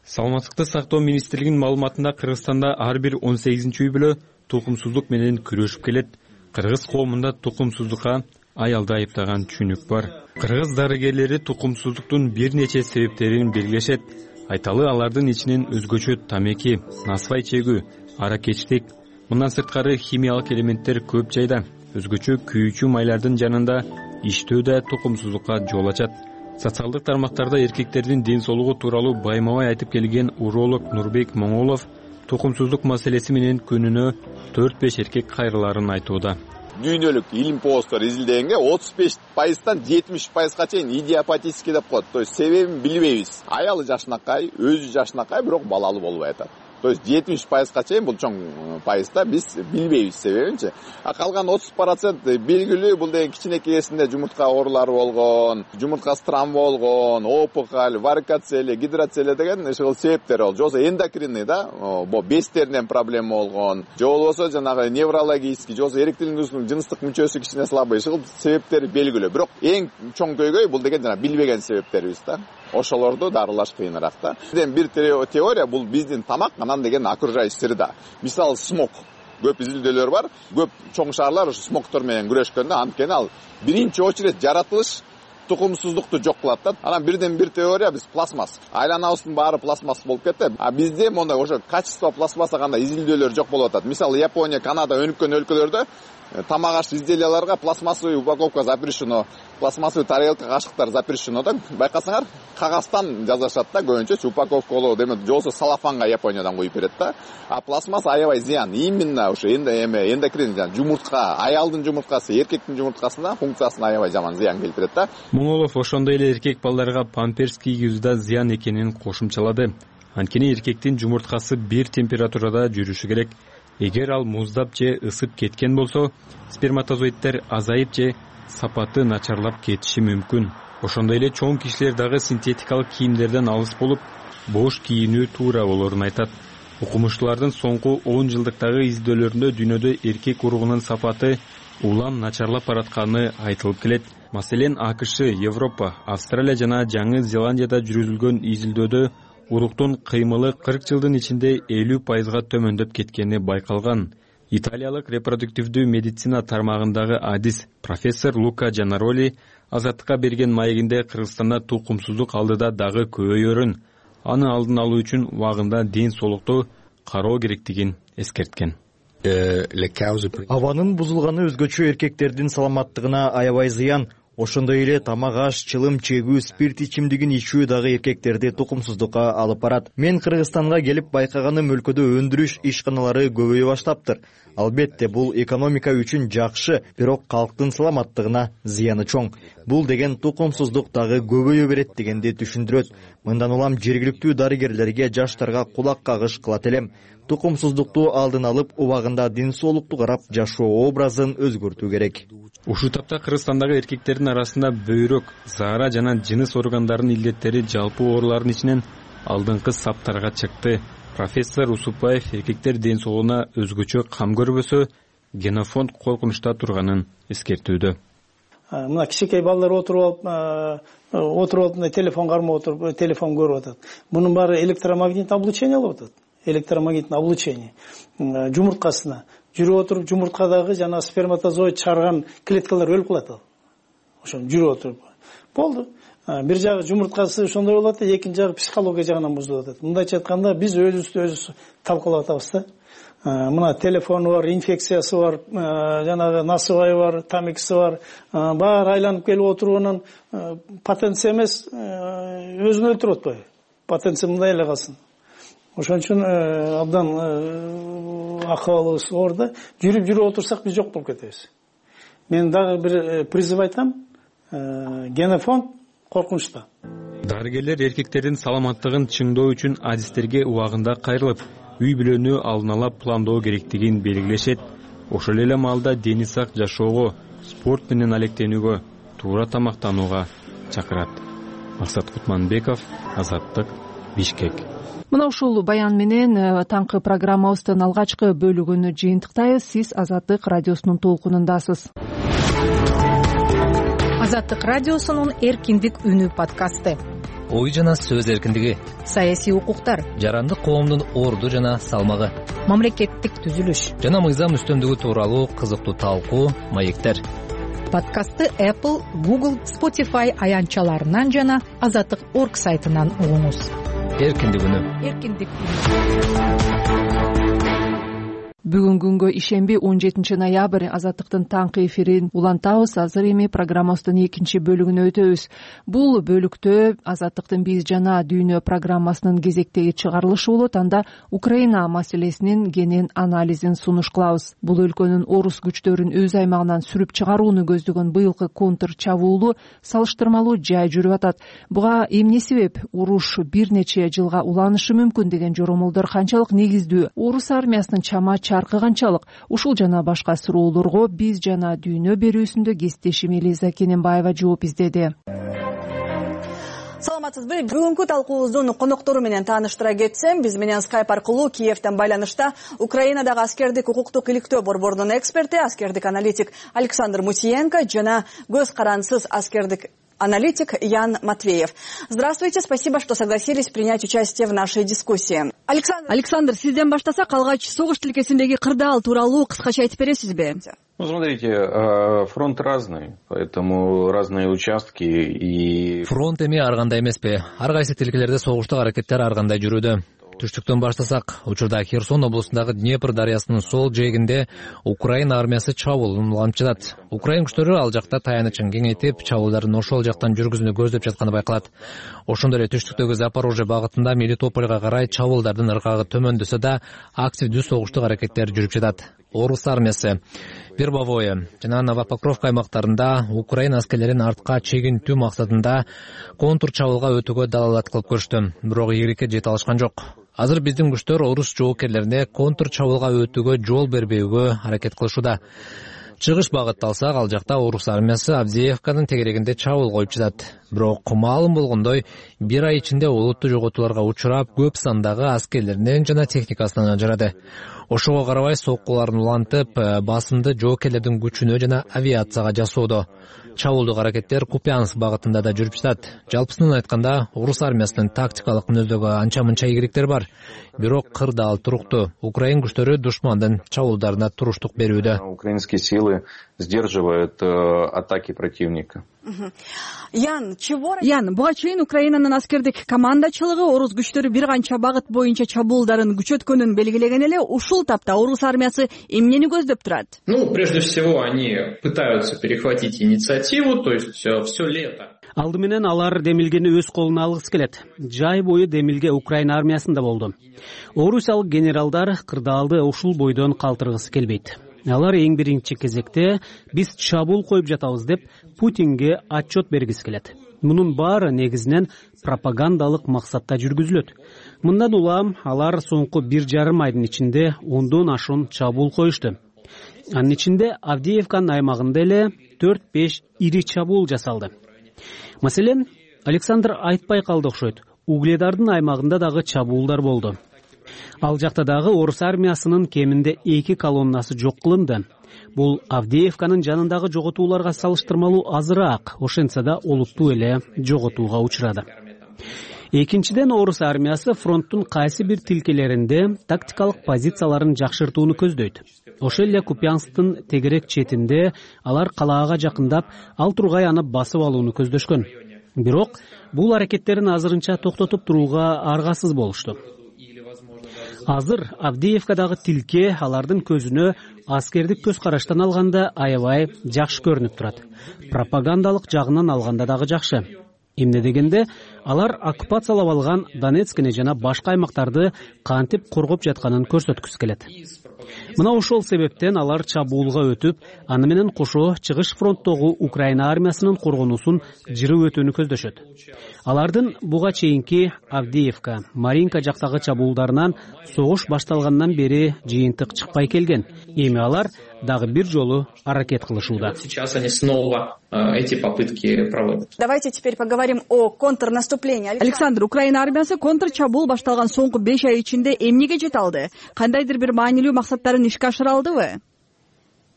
Саламаттыкты сактоо министрлигинин маалыматында Кыргызстанда ар бир 18-үй бүлө тукумсуздук менен күрөшүп келет. Кыргыз коомунда тукумсуздукка аялды айыптаган түшүнүк бар. Кыргыз дарыгерлери тукумсуздуктун бир нече себептерин белгилешет. Айталы алардын ичинен өзгөчө тамеки, насвай чегүү, аракечтик, мындан сырткары химиялык элементтер көп жайда. Өзгөчө күйүүчү майлардын жанында иштөө да тукумсуздукка жол ачат. Социалдык тармактарда эркектердин ден соолугу тууралуу байма-бай айтып келген уролог Нурбек Моңолов тукумсуздук маселеси менен күнүнө 4-5 эркек кайрыларын айтууда. Дүйнөлүк илим посттор изилдегенге 35%-тан 70%-га чейин идиопатический деп коет. То есть себебин билбейбиз. Аялы жашынакай, өзү жашынакай, бирок балалуу болбой атат. То есть 70%-га чейин бул чоң пайызда биз билбейбиз себебинчи. А калган 30% белгилүү, бул деген кичинекейсинде жумуртка оорулары болгон, жумурткасы травма болгон, опухоль, варикоцелия, гидроцелия деген ушул себептер бол. Жосо эндокринный да, безтеринен проблема болгон, же болбосо жанагы неврологический, жосо эректилдүүлүктүн жыныстык мүчөсү кичине слабый, ушул себептери белгилүү. Бирок эң чоң көйгөй бул деген жана билбеген себептерибиз да. Ошолорду дарылаш кыйыныраак да. Бир теория бул биздин тамак, анан деген окружающий среда. Мисалы смог. Көп изилдөөлөр бар. Көп чоң шаарлар ушу смогтор менен күрөшкөндө, анткени ал биринчи очередь жаратылыш тукумсуздукту жок кылат да. Анан бирден бир теория биз пластмасс. Айланабыздын баары пластмасс болуп кетти. А бизде мондай ошо качество пластмасса кандай изилдөөлөр жок болуп атат. Мисалы Япония, Канада өнүккөн өлкөлөрдө тамак аш изделияларга пластмассовый упаковка запрещено, пластмассовый тарелка, кашыктар запрещено да. Байкасаңар, кагаздан жазышат да көбүнчө упаковкалоо деме, жолсо салафанга Япониядан коюп берет да. А пластмасс аябай зыян. Именно ошо эндокрин жумуртка, аялдын жумурткасы, эркектин жумурткасына функциясына аябай жаман зыян келтирет да. Моңолов ошондой эле эркек балдарга памперс кийгизүү да зыян экенин кошумчалады. Анткени эркектин жумурткасы бир температурада жүрүшү керек. Эгер ал муздап же ысып кеткен болсо, сперматозоидтер азайып же сапаты начарлап кетиши мүмкүн. Ошондой эле чоң кишилер дагы синтетикалык кийимдерден алыс болуп, бош кийинүү туура болорун айтат. Окумуштуулардын соңку 10 жылдыктагы изилдөөлөрүндө дүйнөдө эркек уругунун сапаты улам начарлап баратканы айтылып келет. Маселен, АКШ, Европа, Австралия жана Жаңы Зеландияда жүргүзүлгөн изилдөөдө уруктун кыймылы 40 жылдын ичинде 50%-га төмөндөп кеткени байкалган. Италиялык репродуктивдүү медицина тармагындагы адис профессор Лука Джанароли Азаттыкка берген маегинде Кыргызстанда тукумсуздук алдыда дагы көбөйөрүн, аны алдын алуу үчүн убагында ден соолукту кароо керектигин эскерткен. Абанын бузулганы өзгөчө эркектердин саламаттыгына аябай зыян. Ошондой эле тамак аш, чылым чегүү, спирт ичимдигин ичүү дагы эркектерди тукумсуздукка алып барат. Мен Кыргызстанга келип байкаганым өлкөдө өндүрүш ишканалары көбөйө баштаптыр. Албетте бул экономика үчүн жакшы, бирок калктын саламаттыгына зыяны чоң. Бул деген тукумсуздук дагы көбөйө берет дегенди түшүндүрөт. Мындан улам жергиликтүү дарыгерлерге, жаштарга кулак кагыш кылат элем. Тукумсуздукту алдын алып, убагында ден соолукту карап жашоо образын өзгөртүү керек. Ушул тапта Кыргызстандагы эркектердин арасында бөйрөк, заара жана жыныс органдарынын илдеттери жалпы оорулардын ичинен алдыңкы саптарга чыкты. Профессор Усупбаев эркектер ден соолугуна өзгөчө кам көрбөсө, генофонд коркунучта турганын эскертүүдө. Мына кичинекей балдар отуруп алып телефон кармап отуруп, телефон көрүп атат. Мунун баары электромагнитный облучение алып атат. Электромагнитный облучение жумурткасына жүрүп отуруп, жумурткадагы жана сперматозоид чыгарган клеткалар өлүп калат. Ошо жүрүп отуруп болду. Бир жагы жумурткасы ошондой болот, экинчи жагы психология жагынан бузулуп атат. Мындайча айтканда биз өзүбүз талкалап атабыз да. Мына телефону бар, инфекциясы бар, жанагы насыбайы бар, тамикisi бар, баары айланып келип отурганан потенция эмес, өзүн өлтүрүп атпайбы? Потенция мындай эле калсын. Ошон үчүн абдан акыбалыбыз оор да. Жүрүп отурсак биз жок болуп кетебиз. Мен дагы бир призыв айтам. Генофонд коркунучта. Дарыгерлер эркектердин саламаттыгын чыңдоо үчүн адистерге убагында кайрылып, үй бүлөнү алдын ала пландоо керектигин белгилешет. Ошол эле маалда дени сак жашоого, спорт менен алектенүүгө, туура тамактанууга чакырат. Максат Кутманбеков, Азаттык, Бишкек. Мына ушул баян менен таңкы программабыздын алгачкы бөлүгүнү жыйынтыктайбыз. Сиз Азаттык радиосунун толкунундасыз. Азаттык радиосунун эркиндик үнү подкасты. Ой жана сөз эркиндиги, саясий укуктар, жарандык коомдун орду жана салмагы, мамлекеттик түзүлүш жана мыйзам үстөмдүгү тууралуу кызыктуу талкуу, маектер. Подкастты Apple, Google, Spotify аянтчаларынан жана Азаттык.org сайтынан угуңуз. Эркиндик үнү. Эркиндик үнү. Бүгүн күнгө ишемби 17 ноябрь Азаттыктын таңкы эфирин улантабыз. Азыр эми программабыздын экинчи бөлүгүнө өтөбүз. Бул бөлүктө Азаттыктын биз жана дүйнө программасынын кезектеги чыгарылышы болот. Анда Украина маселесинин кенен анализин сунуш кылабыз. Бул өлкөнүн орус күчтөрүн өз аймагынан сүрүп чыгарууну көздөгөн быйылкы контр чабуулу салыштырмалуу жай жүрүп атат. Буга эмне себеп? Уруш бир нече жылга уланышы мүмкүн деген жоромолдор канчалык негиздүү? Орус армиясынын чама чаркы канчалык? Ушул жана башка суроолорго биз жана дүйнө берүүсүндө кесиптешим Элиза Кененбаева жооп издеди. Саламатсызбы? Бүгүнкү талкуубуздун коноктору менен тааныштыра кетсем, биз менен Skype аркылуу Киевтен байланышта Украинадагы аскердик укуктук иликтөө борборунун эксперти, аскердик аналитик Александр Мусиенко жана көз карансыз аскердик аналитик Ян Матвеев. Здравствуйте, спасибо, что согласились принять участие в нашей дискуссии. Александр, сизден баштасак, калгач согуш тилкесиндеги кырдаал тууралуу кыскача айтып бересизби? Ну, смотрите, фронт разный, поэтому разные участки и... Фронт эми ар кандай эмеспи? Ар кайсы тилкелерде согуштук аракеттер ар кандай жүрүүдө. Түштүктөн баштасак, учурда Херсон облусундагы Днепр дарыясынын сол жээгинде Украина армиясы чабуулун улантып жатат. Украин күчтөрү ал жакта таянычын кеңейтип, чабуулдарын ошол жактан жүргүзүүнү көздөп жатканы байкалат. Ошондой эле түштүктөгү Запорожье багытында Мелитопольго карай чабуулдардын ыргагы төмөндөсө да активдүү согуштук аракеттер жүрүп жатат. Орус армиясы Вербовое жана Новопокровка аймактарында Украина аскерлерин артка чегинтүү максатында контур чабуулга өтүүгө далалат кылып көрүштү. Бирок ийгиликке жете алышкан жок. Азыр биздин күчтөр орус жоокерлерине контур чабуулга өтүүгө жол бербөөгө аракет кылышууда. Чыгыш багытты алсак, ал жакта орус армиясы Авдеевканын тегерегинде чабуул коюп жатат. Бирок маалым болгондой, бир ай ичинде олуттуу жоготууларга учурап, көп сандагы аскерлеринен жана техникасынан ажырады. Ошого карабай соккуларын улантып, басымды жоокерлердин күчүнө жана авиацияга жасоодо. Чабуулдук аракеттер Купянск багытында да жүрүп жатат. Жалпысынан айтканда, орус армиясынын тактикалык мүнөздөгү анча-мынча ийгиликтер бар. Бирок кырдаал туруктуу. Украин күчтөрү душмандын чабуулдарына туруштук берүүдө. Украинские силы сдерживают атаки противника. Ян, буга чейин Украинанын аскердик командачылыгы орус күчтөрү бир канча багыт боюнча чабуулдарын күчөткөнүн белгилеген эле. Ушул тапта орус армиясы эмнени көздөп турат? Ну, прежде всего, они пытаются перехватить инициативу, то есть все лето. Алды менен алар демилгени өз колуна алгысы келет. Жай бою демилге Украина армиясында болду. Орусиялык генералдар кырдаалды ушул бойдон калтыргысы келбейт. Алар эң биринчи кезекте биз чабуул коюп жатабыз деп Путинге отчет бергиси келет. Мунун баары негизинен пропагандалык максатта жүргүзүлөт. Мындан улам алар соңку 1,5 айдын ичинде 10дон ашуун чабуул коюшту. Анын ичинде Авдеевканын аймагында эле 4-5 ири чабуул жасалды. Маселен, Александр айтпай калды окшойт. Угледардын аймагында дагы чабуулдар болду. Ал жакта дагы орус армиясынын кеминде 2 колоннасы жок кылынды. Бул Авдеевканын жанындагы жоготууларга салыштырмалуу азыраак, ошентсе да олуттуу эле жоготууга учурады. Экинчиден, орус армиясы фронттун кайсы бир тилкелеринде тактикалык позицияларын жакшыртууну көздөйт. Ошол эле Купянсктын тегерек четинде алар калаага жакындап, ал тургай аны басып алууну көздөшкөн. Бирок бул аракеттерин азырынча токтотуп турууга аргасыз болушту. Азыр Авдеевкадагы тилке алардын көзүнө аскердик көз караштан алганда аябай жакшы көрүнүп турат. Пропагандалык жагынан алганда дагы жакшы. Эмне дегенде, алар оккупациялап алган Донецкини жана башка аймактарды кантип коргоп жатканын көрсөткүсү келет. Мына ошол себептен алар чабуулга өтүп, аны менен кошо чыгыш фронттогу Украина армиясынын коргонуусун жырып өтүүнү көздөшөт. Алардын буга чейинки Авдеевка, Маринка жактагы чабуулдарынан согуш башталгандан бери жыйынтык чыкпай келген. Эми алар дагы бир жолу аракет кылышууда. Сейчас они снова эти попытки проводят. Давайте теперь поговорим о контрнаступлении. Александр, Украина армиясы контрчабуул башталган соңку 5 ай ичинде эмнеге жете алды? Кандайдыр бир маанилүү максаттарын ишке ашыра алдыбы?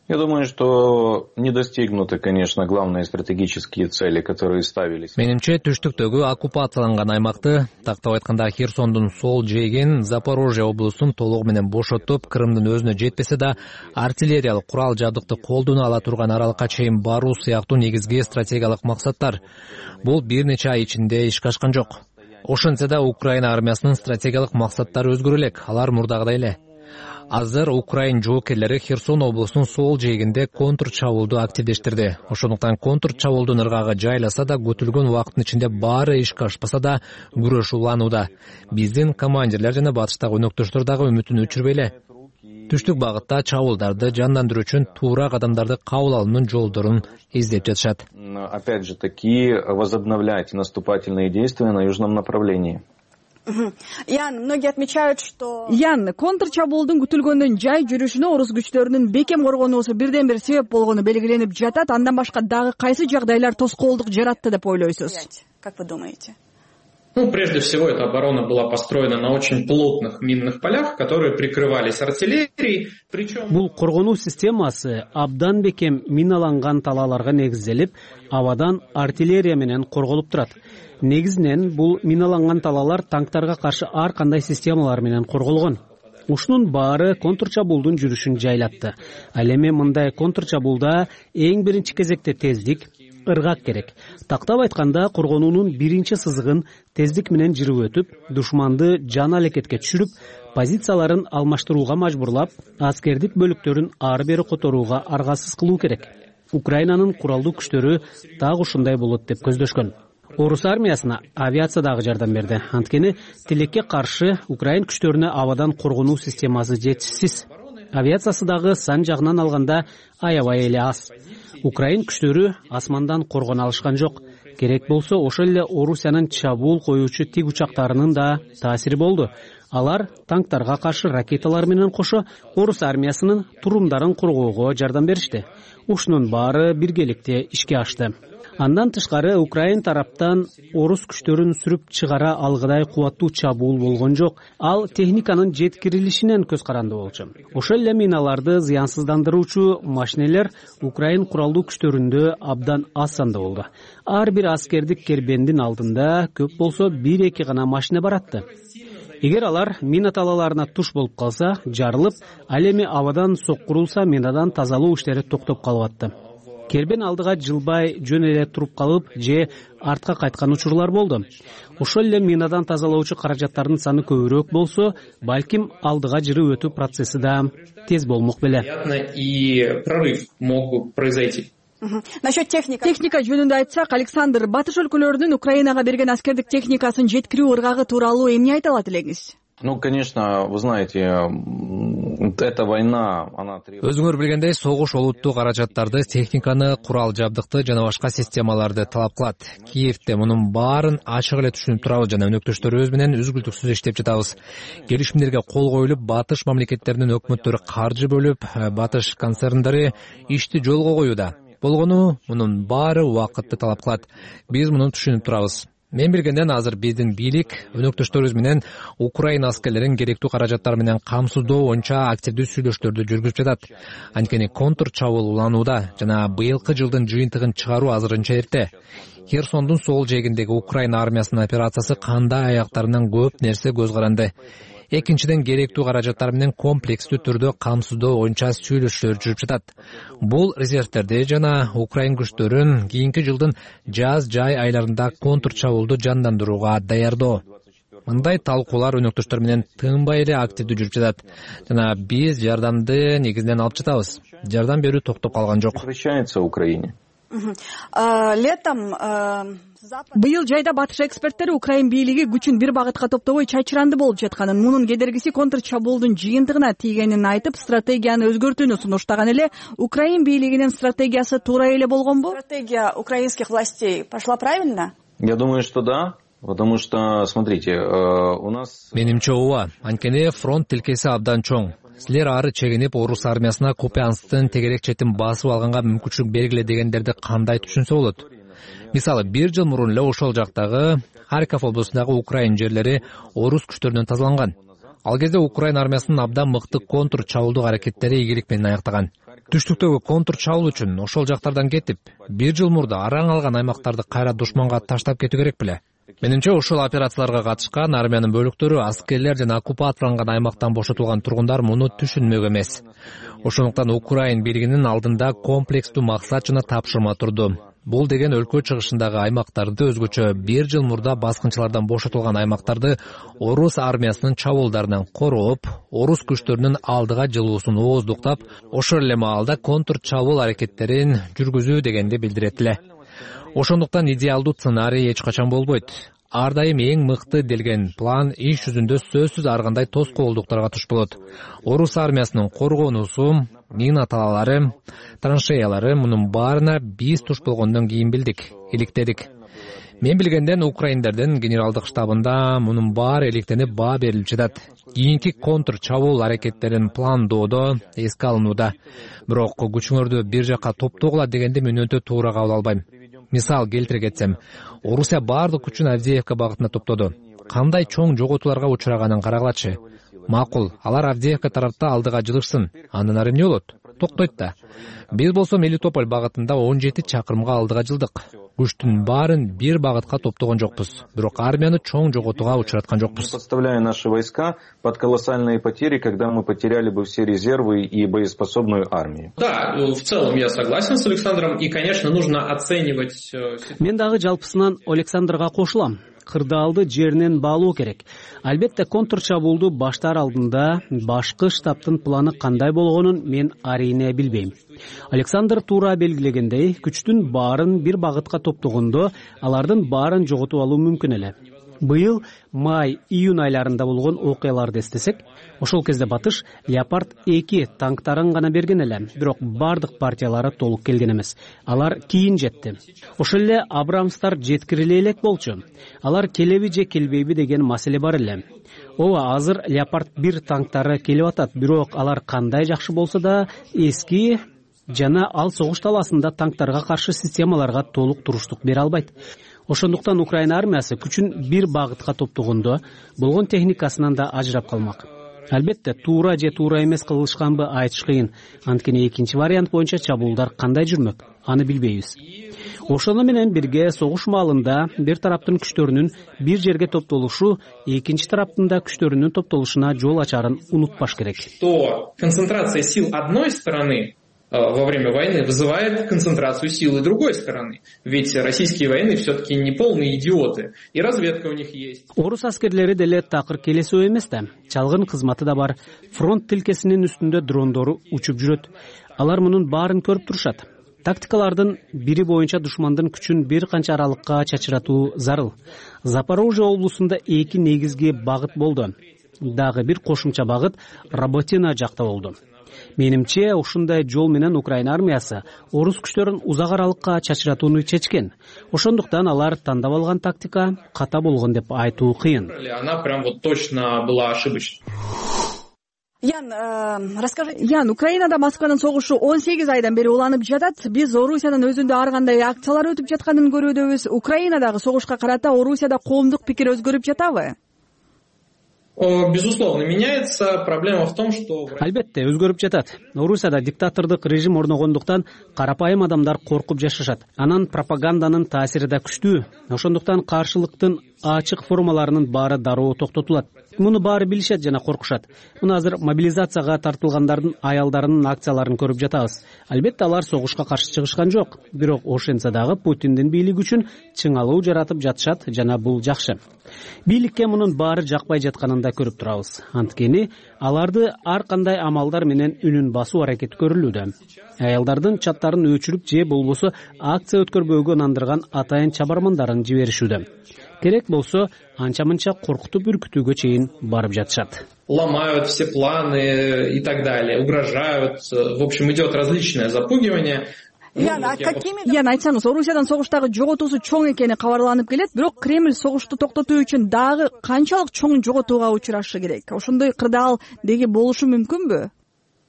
Я думаю, что не достигнуты, конечно, главные стратегические цели, которые ставились. Менимче, түштүктөгү оккупацияланган аймакты, тактап айтканда Херсондун сол жээгин, Запорожье облустун толугу менен бошотуп, Крымдын өзүнө жетпесе да, артиллериялык курал жабдыкты колдоно ала турган аралыкка чейин баруу сыяктуу негизги стратегиялык максаттар. Бул бир нече ай ичинде ишке ашкан жок. Ошентсе да Украина армиясынын стратегиялык максаттары өзгөрө элек, алар мурдагыдай эле. Азыр Украин жоокерлери Херсон облусунун сол жээгинде контрчабуулду активдештирди. Ошондуктан контрчабуулдун ыргагы жайласа да, көтүлгөн убакыттын ичинде баары ишке ашпаса да, күрөш уланууда. Биздин командирлер жана батыштагы өнөктөштөр дагы үмүтүн өчүрбөй эле. Түштүк багытта чабуулдарды жандандыруу үчүн туура кадамдарды кабыл алуунун жолдорун издеп жатышат. Опять же таки, возобновлять наступательные действия на южном направлении. Ян, многие отмечают, что контрчабуулдун күтүлгөндөн жай жүрүшүнө орус күчтөрүнүн бекем коргонуусу бирден бир себеп болгону белгиленип жатат. Андан башка дагы кайсы жагдайлар тоскоолдук жаратты деп ойлойсуз? Как вы думаете? Прежде всего, эта оборона была построена на очень плотных минных полях, которые прикрывались артиллерией. Бул коргонуу системасы абдан бекем миналанган талааларга негизделип, абадан артиллерия менен корголуп турат. Негизинен бул миналанган талаалар танктарга каршы ар кандай системалар менен корголгон. Ушунун баары контрчабуулдун жүрүшүн жайлатты. Ал эми мындай контрчабуулда эң биринчи кезекте тездик, ыргак керек. Тактап айтканда, коргонуунун биринчи сызыгын тездик менен жырып өтүп, душманды жан алекетке түшүрүп, позицияларын алмаштырууга мажбурлап, аскердик бөлүктөрүн ары бери которууга аргасыз кылуу керек. Украинанын куралдуу күчтөрү так ушундай болот деп көздөшкөн. Орус армиясына авиация дагы жардам берди. Анткени тилекке каршы Украин күчтөрүнө абадан коргонуу системасы жетишсиз. Авиациясы дагы сан жагынан алганда аябай эле аз. Украин күчтөрү асмандан коргоно алышкан жок. Керек болсо ошол эле Орусиянын чабуул коюучу тик учактарынын да таасири болду. Алар танктарга каршы ракеталар менен кошо орус армиясынын турумдарын коргоого жардам беришти. Ушунун баары биргеликте ишке ашты. Андан тышкары Украин тараптан орус күчтөрүн сүрүп чыгара алгыдай кубаттуу чабуул болгон жок. Ал техниканын жеткирилишинен көз каранды болчу. Ошол эле миналарды зыянсыздандыруучу машинелер Украин куралдуу күчтөрүндө абдан аз санда болду. Ар бир аскердик кербендин алдында көп болсо 1-2 гана машина баратты. Эгер алар мина талааларына туш болуп калса, жарылып, ал эми абадан соккурулса, минадан тазалоо иштери токтоп калып атты. Кербен алдыга жылбай жөн эле туруп калып, же артка кайткан учурлар болду. Ошол эле минадан тазалоочу каражаттардын саны көбүрөөк болсо, балким алдыга жырып өтүү процесси да тез болмок беле. И прорыв мог произойти. Насчет техника жөнүндө айтсак, Александр, батыш өлкөлөрүнүн Украинага берген аскердик техникасын жеткирүү ыргагы тууралуу эмне айта алат элеңиз? Конечно, вы знаете, эта война, она требует... Өзүңөр билгендей, согуш олуттуу каражаттарды, техниканы, курал жабдыкты жана башка системаларды талап кылат. Киевде мунун баарын ачык эле түшүнүп турабыз жана өнөктөштөрүбүз менен үзгүлтүксүз иштеп жатабыз. Келишимдерге кол коюлуп, батыш мамлекеттеринин өкмөттөрү каржы бөлүп, батыш концерндери ишти жолго коюуда. Болгону мунун баары убакытты талап кылат. Биз муну түшүнүп турабыз. Мен билгенден азыр биздин бийлик өнөктөштөрүбүз менен Украина аскерлерин керектүү каражаттар менен камсыздоо боюнча активдүү сүйлөшүүлөрдү жүргүзүп жатат. Анткени контр чабуул уланууда жана быйылкы жылдын жыйынтыгын чыгаруу азырынча эрте. Херсондун сол жээгиндеги Украина армиясынын операциясы кандай аяктарынан көп нерсе көз каранды. Экинчиден, керектүү каражаттар менен комплекстүү түрдө камсыздоо боюнча сүйлөшүүлөр жүрүп жатат. Бул резервтерди жана Украин күчтөрүн кийинки жылдын жаз-жай айларында контр чабуулду жандандырууга даярдоо. Мындай талкуулар өнөктөштөр менен тынбай эле активдүү жүрүп жатат. Жана биз жардамды негизинен алып жатабыз. Жардам берүү токтоп калган жок. Прекращается Украине. Летом быйыл жайда батыш эксперттери Украин бийлиги күчүн бир багытка топтобой чачыранды болуп жатканын, мунун кедергиси контр чабуулдун жыйынтыгына тийгенин айтып, стратегияны өзгөртүүнү сунуштаган эле. Украин бийлигинин стратегиясы туура эле болгонбу? Стратегия украинских властей пошла правильно? Я думаю, что да. Потому что, смотрите, у нас... Менимче ооба, анткени фронт тилкеси абдан чоң. Силер ары чегинип, орус армиясына Купянсктын тегерек четин басып алганга мүмкүнчүлүк бергиле дегендерди кандай түшүнсө болот? Мисалы, 1 жыл мурун эле ошол жактагы Харьков облусундагы Украин жерлери орус күчтөрүнөн тазаланган. Ал кезде Украин армиясынын абдан мыкты контр чабуулдук аракеттери ийгилик менен аяктаган. Түштүктөгү контр чабуул үчүн ошол жактардан кетип, 1 жыл мурда араң алган аймактарды кайра душманга таштап кетүү керек беле? Менимче ошол операцияларга катышкан армиянын бөлүктөрү, аскерлер жана оккупацияланган аймактан бошотулган тургундар муну түшүнмөк эмес. Ошондуктан Украин бийлигинин алдында комплекстүү максат жана тапшырма турду. Бул деген өлкө чыгышындагы аймактарды, өзгөчө 1 жыл мурда баскынчылардан бошотулган аймактарды орус армиясынын чабуулдарынан корооп, орус күчтөрүнүн алдыга жылуусун ооздуктап, ошол эле маалда контр чабуул аракеттерин жүргүзүү дегенди билдирет эле. Ошондуктан идеалдуу сценарий эч качан болбойт. Ар дайым эң мыкты делген план иш жүзүндө сөзсүз ар кандай тоскоолдуктарга туш болот. Орус армиясынын коргоонусу, мина талалары, траншеялары, мунун баарына биз туш болгондон кийин билдик, иликтедик. Мен билгенден украиндердин генералдык штабында мунун баары иликтенип баа берилип жатат. Кийинки контр чабуул аракеттерин пландоодо эске алынууда. Бирок күчүңөрдү бир жакка топтогула дегенди мен өтө туура кабыл албайм. Мисал келтире кетсем, Орусия баардык күчүн Авдеевка багытына топтоду. Кандай чоң жоготууларга учураганын карагылачы. Макул, алар Авдеевка тарапта алдыга жылышсын. Андан ары эмне болот? Токтойт да. Биз болсо Мелитополь багытында 17 чакырымга алдыга жылдык. Күчтүн баарын бир багытка топтогон жокпуз. Бирок армияны чоң жоготууга учураткан жокпуз. Подставляя наши войска под колоссальные потери, когда мы потеряли бы все резервы и боеспособную армию. Да, в целом я согласен с Александром, и, конечно, нужно оценивать... Мен дагы жалпысынан Александрга кошулам. Кырдаалды жеринен баалоо керек. Албетте контр чабуулду баштаар алдында башкы штабтын планы кандай болгонун мен арийне билбейм. Александр туура белгилегендей, күчтүн баарын бир багытка топтогондо алардын баарын жоготуп алуу мүмкүн эле. Быйыл май-июнь айларында болгон окуяларды эстесек, ошол кезде батыш Леопард 2 танктарын гана берген эле, бирок бардык партиялары толук келген эмес. Алар кийин жетти. Ошол эле Абрамстар жеткириле элек болчу. Алар келеби же келбейби деген маселе бар эле. Ооба, азыр Леопард 1 танктары келип атат, бирок алар кандай жакшы болсо да эски жана ал согуш таласында танктарга каршы системаларга толук туруштук бере албайт. Ошондуктан Украина армиясы күчүн бир багытка топтогондо болгон техникасынан да ажырап калмак. Албетте, туура же туура эмес кылышканбы айтыш кыйын. Анткени экинчи вариант боюнча чабуулдар кандай жүрмөк, аны билбейбиз. Ошону менен бирге согуш маалында бир тараптын күчтөрүнүн бир жерге топтолушу экинчи тараптын да күчтөрүнүн топтолушуна жол ачарын унутпаш керек. То концентрация сил одной стороны во время войны вызывает концентрацию силы другой стороны. Ведь российские военные все-таки не полные идиоты, и разведка у них есть. Орус аскерлери деле такыр келесөө эмес да. Чалгын кызматы да бар. Фронт тилкесинин үстүндө дрондору учуп жүрөт. Алар мунун баарын көрүп турушат. тактикалардын бири боюнча душмандын күчүн бир канча аралыкка чачыратуу зарыл. Запорожье облусунда 2 негизги багыт болду. Дагы бир кошумча багыт Работино жакта болду. Менимче, ушундай жол менен Украина армиясы орус күчтөрүн узак аралыкка чачыратууну чечкен. Ошондуктан алар тандап алган тактика ката болгон деп айтуу кыйын. Она прям вот точно была ошибочной. Ян, Украинада Москванын согушу 18 айдан бери уланып жатат. Биз Орусиянын өзүндө ар кандай акциялар өтүп жатканын көрүүдөбүз. Украинадагы согушка карата Орусияда коомдук пикир өзгөрүп жатабы? Безусловно, меняется. Проблема в том, что... Албетте, өзгөрүп жатат. Орусияда диктатордук режим орногондуктан карапайым адамдар коркуп жашашат. Анан пропаганданын таасири да күчтүү. Ошондуктан каршылыктын ачык формаларынын баары дароо токтотулат. Муну баары билишет жана коркушат. Муну азыр мобилизацияга тартылгандардын аялдарынын акцияларын көрүп жатабыз. Албетте алар согушка каршы чыгышкан жок. Бирок ошентсе дагы Путиндин бийлиги үчүн чыңалуу жаратып жатышат жана бул жакшы. Бийликке мунун баары жакпай жатканын да көрүп турабыз. Анткени аларды ар кандай амалдар менен үнүн басуу аракети көрүлүүдө. Аялдардын чаттарын өчүрүп же болбосо акция өткөрбөөгө нандырган атайын чабармандарын жиберишүүдө. Керек болсо анча-мынча коркутуп үркүтүүгө чейин барып жатышат. Ломают все планы и так далее, угрожают. В общем, идет различное запугивание. Ян, айтсаңыз, Орусиядан согуштагы жоготуусу чоң экени кабарланып келет, бирок Кремль согушту токтотуу үчүн дагы канчалык чоң жоготууга учурашы керек? Ошондой кырдаал деги болушу мүмкүнбү?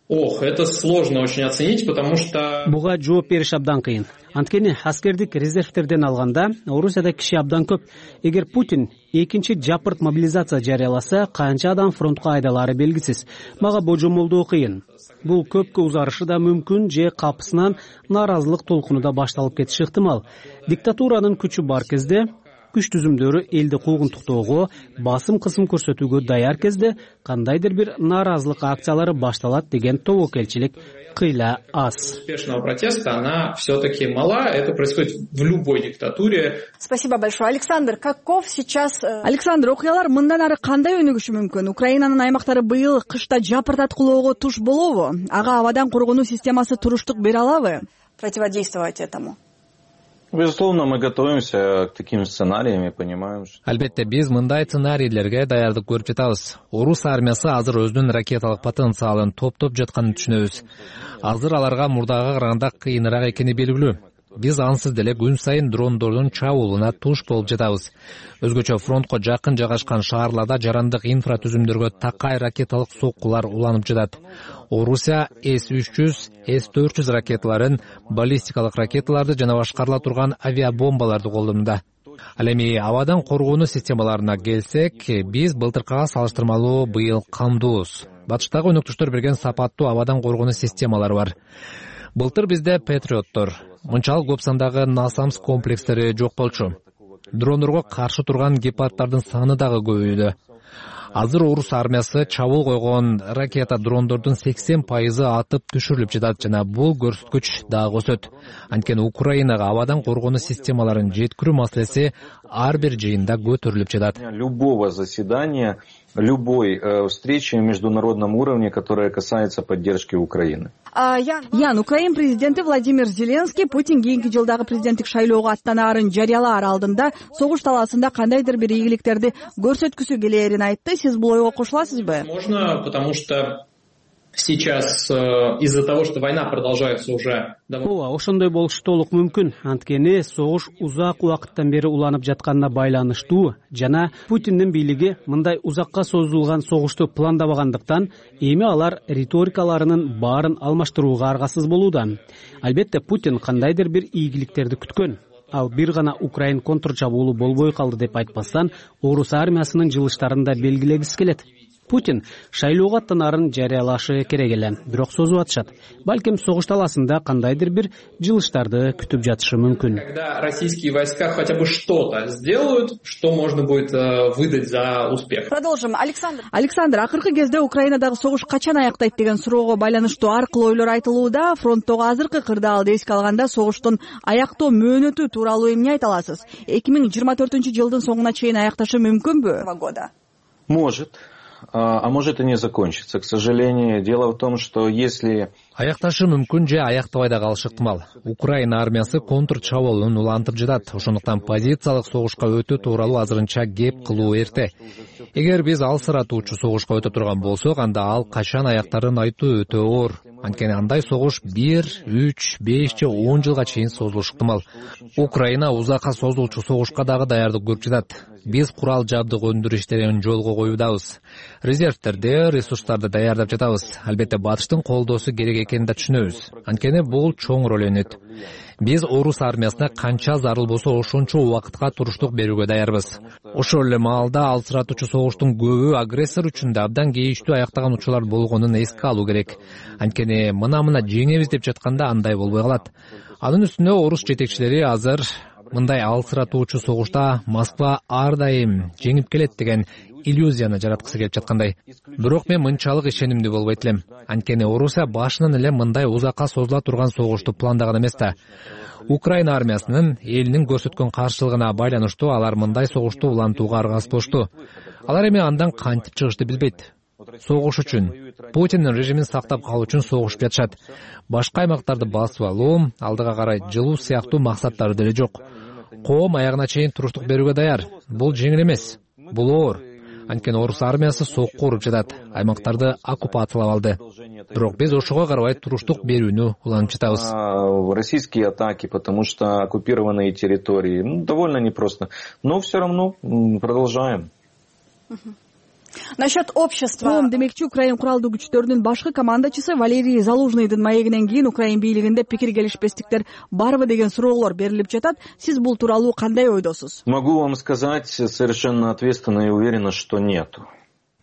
Ох, это сложно очень оценить, потому что... Буга жооп бериш абдан кыйын. Анткени аскердик резервтерден алганда Орусияда киши абдан көп. Эгер Путин экинчи жапырт мобилизация жарыяласа, канча адам фронтко айдалары белгисиз. Мага божомолдоо кыйын. Бул көпкө узарышы да мүмкүн, же капысынан нааразылык толкуну да башталып кетиши ыктымал. Диктатуранын күчү бар кезде, күч түзүмдөрү элди куугунтуктоого, басым кысым көрсөтүүгө даяр кезде кандайдыр бир нааразылык акциялары башталат деген тобокелчилик кыйла аз. Успешного протеста она все-таки мала, это происходит в любой диктатуре. Спасибо большое. Александр, каков сейчас... Александр, окуялар мындан ары кандай өнүгүшү мүмкүн? Украинанын аймактары быйыл кышта жапырт аткылоого туш болобу? Ага абадан коргонуу системасы туруштук бере алабы? Противодействовать этому? Безусловно, мы готовимся к таким сценариям и понимаем, что... Албетте, биз мындай сценарийлерге даярдык көрүп жатабыз. Орус армиясы азыр өзүнүн ракеталык потенциалын топтоп жатканын түшүнөбүз. Азыр аларга мурдага караганда кыйыныраак экени белгилүү. Биз ансыз деле күн сайын дрондордун чабуулуна туш болуп жатабыз. Өзгөчө фронтко жакын жайгашкан шаарларда жарандык инфратүзүмдөргө такай ракеталык соккулар уланып жатат. Орусия С-300, С-400 ракеталарын, баллистикалык ракеталарды жана башкарыла турган авиабомбаларды колдонууда. Ал эми абадан коргонуу системаларына келсек, биз былтыркыга салыштырмалуу быйыл камдуубуз. Батыштагы өнөктөштөр берген сапаттуу абадан коргонуу системалары бар. Былтыр бизде Патриоттор, мынчалык көп сандагы Насамс комплекстери жок болчу. Дрондорго каршы турган гепарддардын саны дагы көбөйдү. Азыр Орус армиясы чабуул койгон ракета дрондордун 80% атып түшүрүлүп жатат жана бул көрсөткүч дагы өсөт. Анткени Украинага абадан коргонуу системаларын жеткирүү маселеси ар бир жыйында көтөрүлүп жатат. Любого заседания, любой встречи на международном уровне, которая касается поддержки Украины. Ян, Украин президенти Владимир Зеленский Путин кийинки жылдагы президенттик шайлоого аттанаарын жарыялаар алдында согуш талаасында кандайдыр бир ийгиликтерди көрсөткүсү келээрин айтты. Сиз бул ойго кошуласызбы? Можно, потому что сейчас из-за того, что война продолжается уже... Ооба, ошондой болушу толук мүмкүн. Анткени согуш узак убакыттан бери уланып жатканына байланыштуу жана Путиндин бийлиги мындай узакка созулган согушту пландабагандыктан эми алар риторикаларынын баарын алмаштырууга аргасыз болууда. Албетте Путин кандайдыр бир ийгиликтерди күткөн. Ал бир гана Украин контрчабуулу болбой калды деп айтпастан, Орус армиясынын жылыштарын да белгилегиси келет. Путин шайлоого аттанаарын жарыялашы керек эле, бирок созуп атышат. Балким согуш талаасында кандайдыр бир жылыштарды күтүп жатышы мүмкүн. Когда российские войска хотя бы что-то сделают, что можно будет выдать за успех. Продолжим. Александр, акыркы кезде Украинадагы согуш качан аяктайт деген суроого байланыштуу ар кыл ойлор айтылууда. Фронттогу азыркы кырдаалды эске алганда согуштун аяктоо мөөнөтү тууралуу эмне айта аласыз? 2024 жылдын соңуна чейин аякташы мүмкүнбү? Может. а может и не закончится, к сожалению. Дело в том, что если... Аякташы мүмкүн же аяктобай да калышы ыктымал. Украина армиясы контр чабуулун улантып жатат. Ошондуктан позициялык согушка өтүү тууралуу азырынча кеп кылуу эрте. Эгер биз алсыратуучу согушка өтө турган болсок, анда ал качан аяктарын айтуу өтө оор. Анткени андай согуш 1, 3, 5 же 10 жылга чейин созулушу ыктымал. Украина узакка созулчу согушка дагы даярдык көрүп жатат. Биз курал жабдык өндүрүү иштерин жолго коюудабыз. Резервтерди, ресурстарды даярдап жатабыз. Албетте батыштын колдоосу керек экенин да түшүнөбүз. Анткени бул чоң роль ойнойт. Биз орус армиясына канча зарыл болсо ошончо убакытка туруштук берүүгө даярбыз. Ошол эле маалда алсыратуучу согуштун көбү агрессор үчүн да абдан кейиштүү аяктаган учурлар болгонун эске алуу керек. Анткени мына жеңебиз деп жатканда андай болбой калат. Анын үстүнө орус жетекчилери азыр мындай алсыратуучу согушта Москва ар дайым жеңип келет деген иллюзияны жараткысы келип жаткандай. Бирок мен мынчалык ишенимдүү болбойт элем. Анткени Орусия башынан эле мындай узакка созула турган согушту пландаган эмес да. Украина армиясынын элинин көрсөткөн каршылыгына байланыштуу алар мындай согушту улантууга аргасыз болушту. Алар эми андан кантип чыгышты билбейт. Согуш үчүн, Путиндин режимин сактап калуу үчүн согушуп жатышат. Башка аймактарды басып алуу, алдыга карай жылуу сыяктуу максаттары деле жок. Коом аягына чейин туруштук берүүгө даяр. Бул жеңил эмес. Бул оор. Анткени орус армиясы сокко уруп жатат, аймактарды оккупациялап алды. Бирок биз ошого карабай туруштук берүүнү уланып жатабыз. Российские атаки, потому что оккупированные территории, довольно непросто. Но все равно продолжаем. Насчет общества. Коом демекчи, Украин куралдуу күчтөрүнүн башкы командачысы Валерий Залужныйдын маегинен кийин Украин бийлигинде пикир келишпестиктер барбы деген суроолор берилип жатат. Сиз бул тууралуу кандай ойдосуз? Могу вам сказать совершенно ответственно и уверенно, что нету.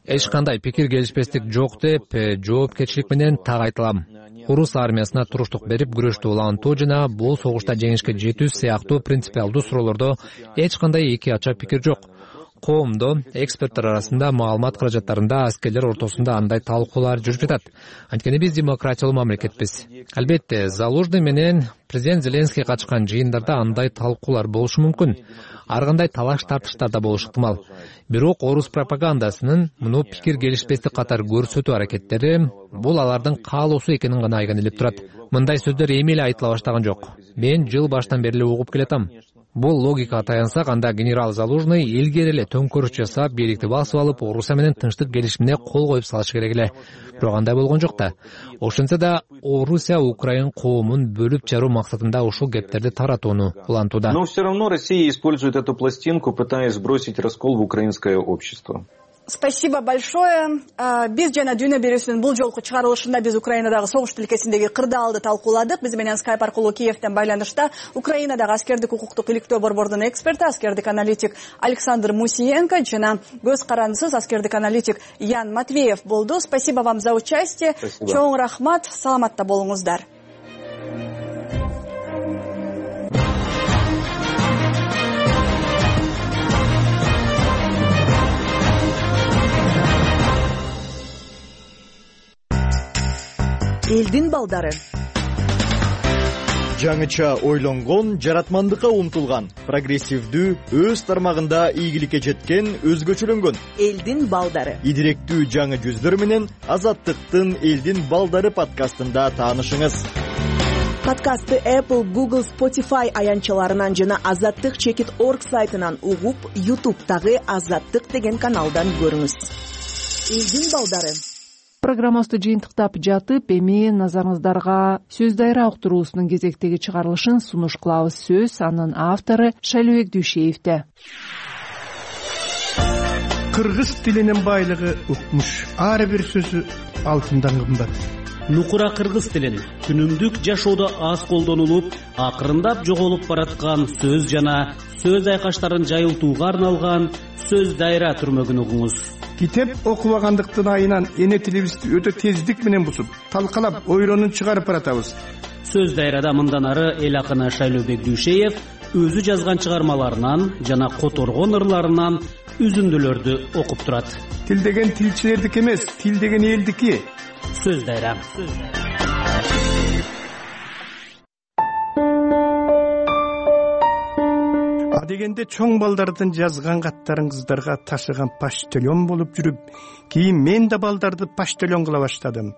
Эч кандай пикир келишпестик жок деп жоопкерчилик менен так айтылам. Орус армиясына туруштук берип күрөштү улантуу жана бул согушта жеңишке жетүү сыяктуу принципиалдуу суроолордо эч кандай эки ача пикир жок. Коомдо, эксперттер арасында, маалымат каражаттарында, аскерлер ортосунда андай талкуулар жүрүп жатат. Анткени биз демократиялуу мамлекетпиз. Албетте, Залужный менен президент Зеленский катышкан жыйындарда андай талкуулар болушу мүмкүн. Ар кандай талаш-тартыштар да болушу ыктымал. Бирок орус пропагандасынын муну пикир келишпестик катар көрсөтүү аракеттери бул алардын каалоосу экенин гана айгинелеп турат. Мындай сөздөр эми эле айтыла баштаган жок. Мен жыл баштан бери эле угуп келатам. Бул логикага таянсак, анда генерал Залужный илгери эле төңкөрүш жасап, бийликти басып алып, Орусия менен тынчтык келишимине кол коюп салыш керек эле. Бирок андай болгон жок да. Ошентсе да Орусия Украин коомун бөлүп жаруу максатында ушул кептерди таратууну улантууда. Но все равно Россия использует эту пластинку, пытаясь сбросить раскол в украинское общество. Спасибо большое. Биз жана Дүйнө берүүсүнүн бул жолку чыгарылышында биз Украинадагы согуш тилкесиндеги кырдаалды талкууладык. Биз менен скайп аркылуу Киевден байланышта Украинадагы аскердик укуктук иликтөө борбордунун эксперти, аскердик аналитик Александр Мусиенко жана көз карандысыз аскердик аналитик Ян Матвеев болду. Спасибо вам за участие. Чоң рахмат. Саламатта болуңуздар. Элдин балдары. Жаңыча ойлонгон, жаратмандыкка умтулган, прогрессивдүү, өз тармагында ийгиликке жеткен, өзгөчөлөнгөн. Элдин балдары. Идиректүү жаңы жүздөр менен Азаттыктын Элдин балдары подкастында таанышыңыз. Подкастты Apple, Google, Spotify аянчаларынан жана Азаттык.org сайтынан угуп, YouTube'тагы Азаттык деген каналдан көрүңүз. Элдин балдары. Программабызды жыйынтыктап жатып, эми назарыңыздарга сөз дайра уктуруусунун кезектеги чыгарылышын сунуш кылабыз. Сөз анын автору Шайлообек Дүйшеевде. Кыргыз тилинин байлыгы укмуш. Ар бир сөзү алтындан кымбат. Нукура кыргыз тилин күнүмдүк жашоодо аз колдонулуп, акырындап жоголуп бараткан сөз жана сөз айкаштарын жайылтууга арналган сөз дайра түрмөгүн угуңуз. Китеп окубагандыктын айынан эне тилибизди өтө тездик менен бусуп, талкалап, ойронун чыгарып баратабыз. Сөз дайрада мындан ары эл акыны Шайлообек Дүйшеев өзү жазган чыгармаларынан жана которгон ырларынан үзүндүлөрдү окуп турат. Тил деген тилчилердики эмес, тил деген элдики. Сөз дайра. дегенде чоң балдардын жазган каттарын кыздарга ташыган почтальон болуп жүрүп, кийин мен да балдарды почтальон кыла баштадым.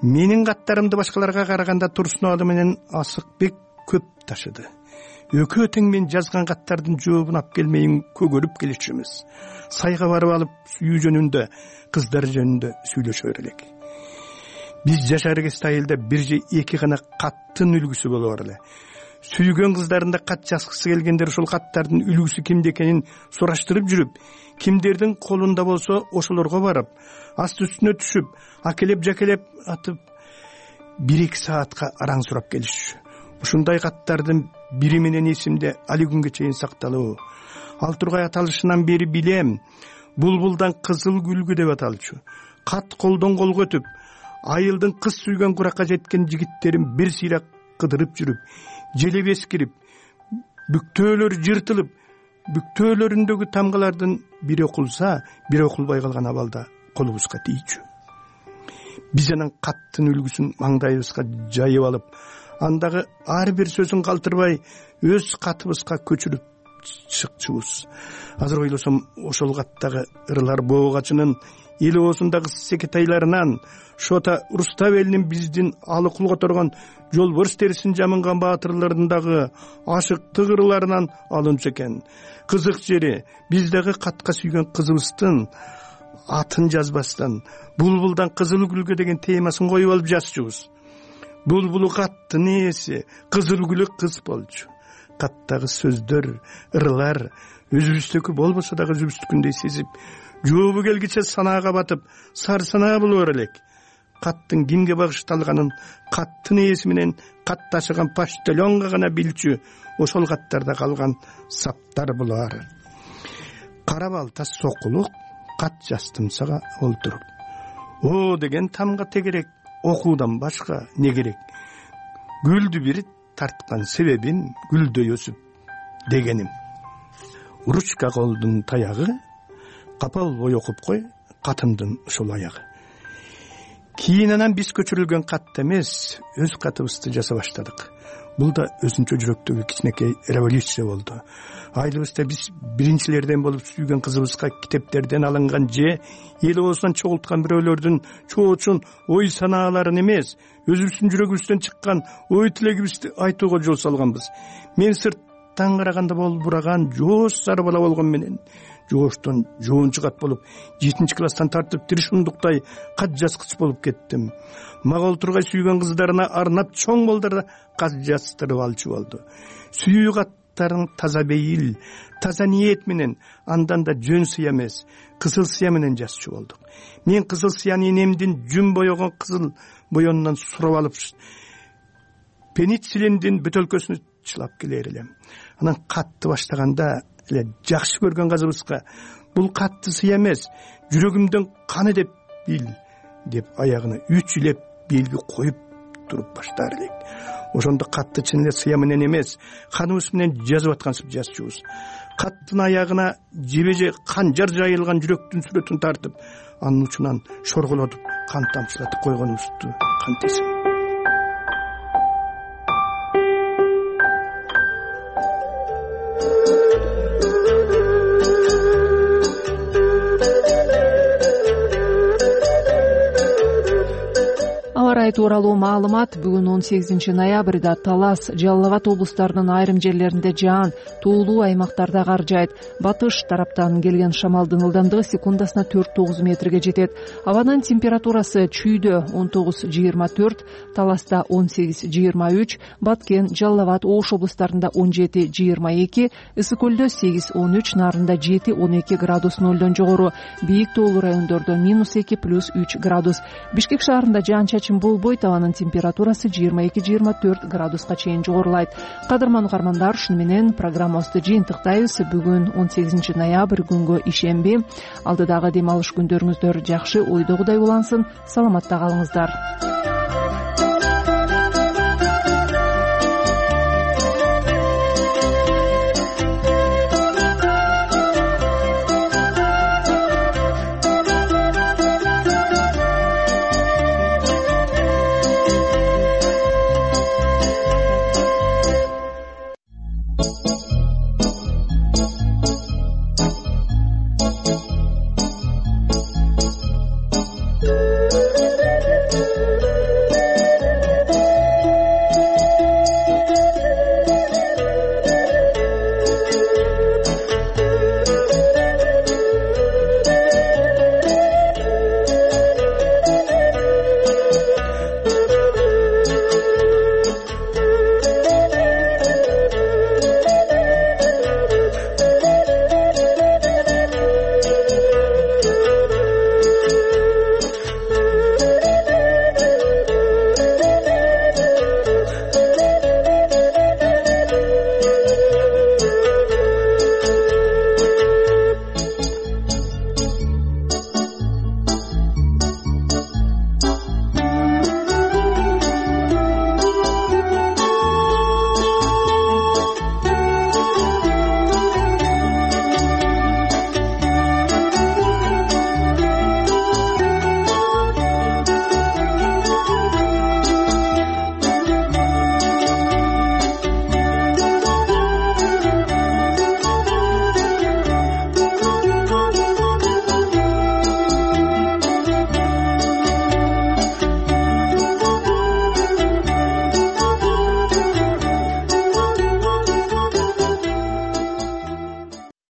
Менин каттарымды башкаларга караганда Турсун алы менен Асыкбек көп ташыды. Экөө тең мен жазган каттардын жообун алып келмейин көгөрүп келишчүбүз. Сайга барып алып сүйүү жөнүндө, кыздар жөнүндө сүйлөшөр элек. Биз жашар кезде айылда бир же эки гана каттын үлгүсү болор эле. Сүйгөн кыздарында кат жазгысы келгендер ошол каттардын үлгүсү кимде экенин сураштырып жүрүп, кимдердин колунда болсо ошолорго барып, асты үстүнө түшүп, акелеп жакелеп атып 1-2 саатка араң сурап келишчү. Ушундай каттардын бири менен эсимде али күнгө чейин сакталуу. Ал тургай аталышынан бери билем. Булбулдан кызыл гүлгү деп аталчу. Кат колдон колго өтүп, айылдын кыз сүйгөн куракка жеткен жигиттерин бир сыйра кыдырып жүрүп, желеп эскирип, бүктөөлөр жыртылып, бүктөөлөрүндөгү тамгалардын бири окулса, бири окулбай калган абалда колубузга тийчү. Биз анан каттын үлгүсүн маңдайыбызга жайып алып, андагы ар бир сөзүн калтырбай өз катыбызга көчүрүп чыкчубуз. Азыр ойлосом, ошол каттагы ырылар боогачынын эл оозундагы секетайларынан, Шота Руставелдин биздин алы кул которгон жолборс терисин жамынган баатырлардын дагы ашыктык ырыларынан алынчу экен. Кызык жери, биз дагы катка сүйгөн кызыбыздын атын жазбастан булбулдан кызыл гүлгө деген темасын коюп алып жазчубуз. Булбулу каттын ээси, кызыл гүлү кыз болчу. Каттагы сөздөр, ырылар өзүбүздүкү болбосо дагы өзүбүздүкүндөй сезип, жообу келгиче санаага батып, сар санаа болор элек. Каттын кимге багышталганын каттын ээси менен кат ташыган почтальонго гана билчү, ошол каттарда калган саптар булар. Кара балта сокулук кат жастымсага олтуруп. О деген тамга тегерек, окуудан башка не керек? Гүлдү бир тарткан себебин гүлдөй өсүп дегеним. Ручка колдун таягы, капал бой окуп кой, катымдын ушул аягы. Кийин анан биз көчүрүлгөн кат эмес, өз катыбызды жаза баштадык. Бул да өзүнчө жүрөктөгү кичинекей революция болду. Айылыбызда биз биринчилерден болуп сүйгөн кызыбызга китептерден алынган же эл оозунан чогулткан бирөөлөрдүн чоочун ой санааларын эмес, өзүбүздүн жүрөгүбүздөн чыккан ой тилегибизди айтууга жол салганбыз. Мен сырттан караганда болбураган жоош сары бала болгон менен жооштон жоончу кат болуп, 7-класстан тартып Тришундуктай кат жазгыч болуп кеттим. Мага олтургай сүйгөн кыздарына арнап чоң балдарда кат жаздырып алчу болду. Сүйүү каттарын таза бейил, таза ниет менен, андан да жөн сыя эмес, кызыл сыя менен жазчу болдук. Мен кызыл сыяны энемдин жүн боёгон кызыл боёнунан сурап алып, пенициллиндин бөтөлкөсүнө чылап келер элем. Анан катты баштаганда эле жакшы көргөн кызыбызга бул катты сыя эмес, жүрөгүмдөн каны деп бил деп аягына 3 илеп белги коюп туруп баштар элек. Ошондо катты чын эле сыя менен эмес, каныбыз менен жазып аткансып жазчубуз. Каттын аягына жебеже канжар жайылган жүрөктүн сүрөтүн тартып, анын учунан шорголотуп, кан тамчылатып койгонубузду кантесиң. Тууралуу маалымат бүгүн 18 ноябрда Талас, Жалал Абад облустарынын айрым жерлеринде жаан, туулуу аймактарда кар жаайт. Батыш тараптан келген шамалдын ылдамдыгы секундасына 4-9 метрге жетет. Абанын температурасы чүйдө 19-24, Таласта 18-23, Баткен, Жалал Абад, Ош облустарында 17-22, Ысык көлдө 8-13, Нарында 7-12 градус нөлдөн жогору, бийик тоолуу райондордо -2 +3 градус. Бишкек шаарында жаан-чачын болбойт, абанын температурасы 22-24 градуска чейин жогорулайт. Кадырман угармандар, ушуну менен программабызды жыйынтыктайбыз. Бүгүн 18 ноябрь күнгө ишемби. Алдыдагы дем алыш күндөрүңүздөр жакшы, ойдогудай улансын. Саламатта калыңыздар.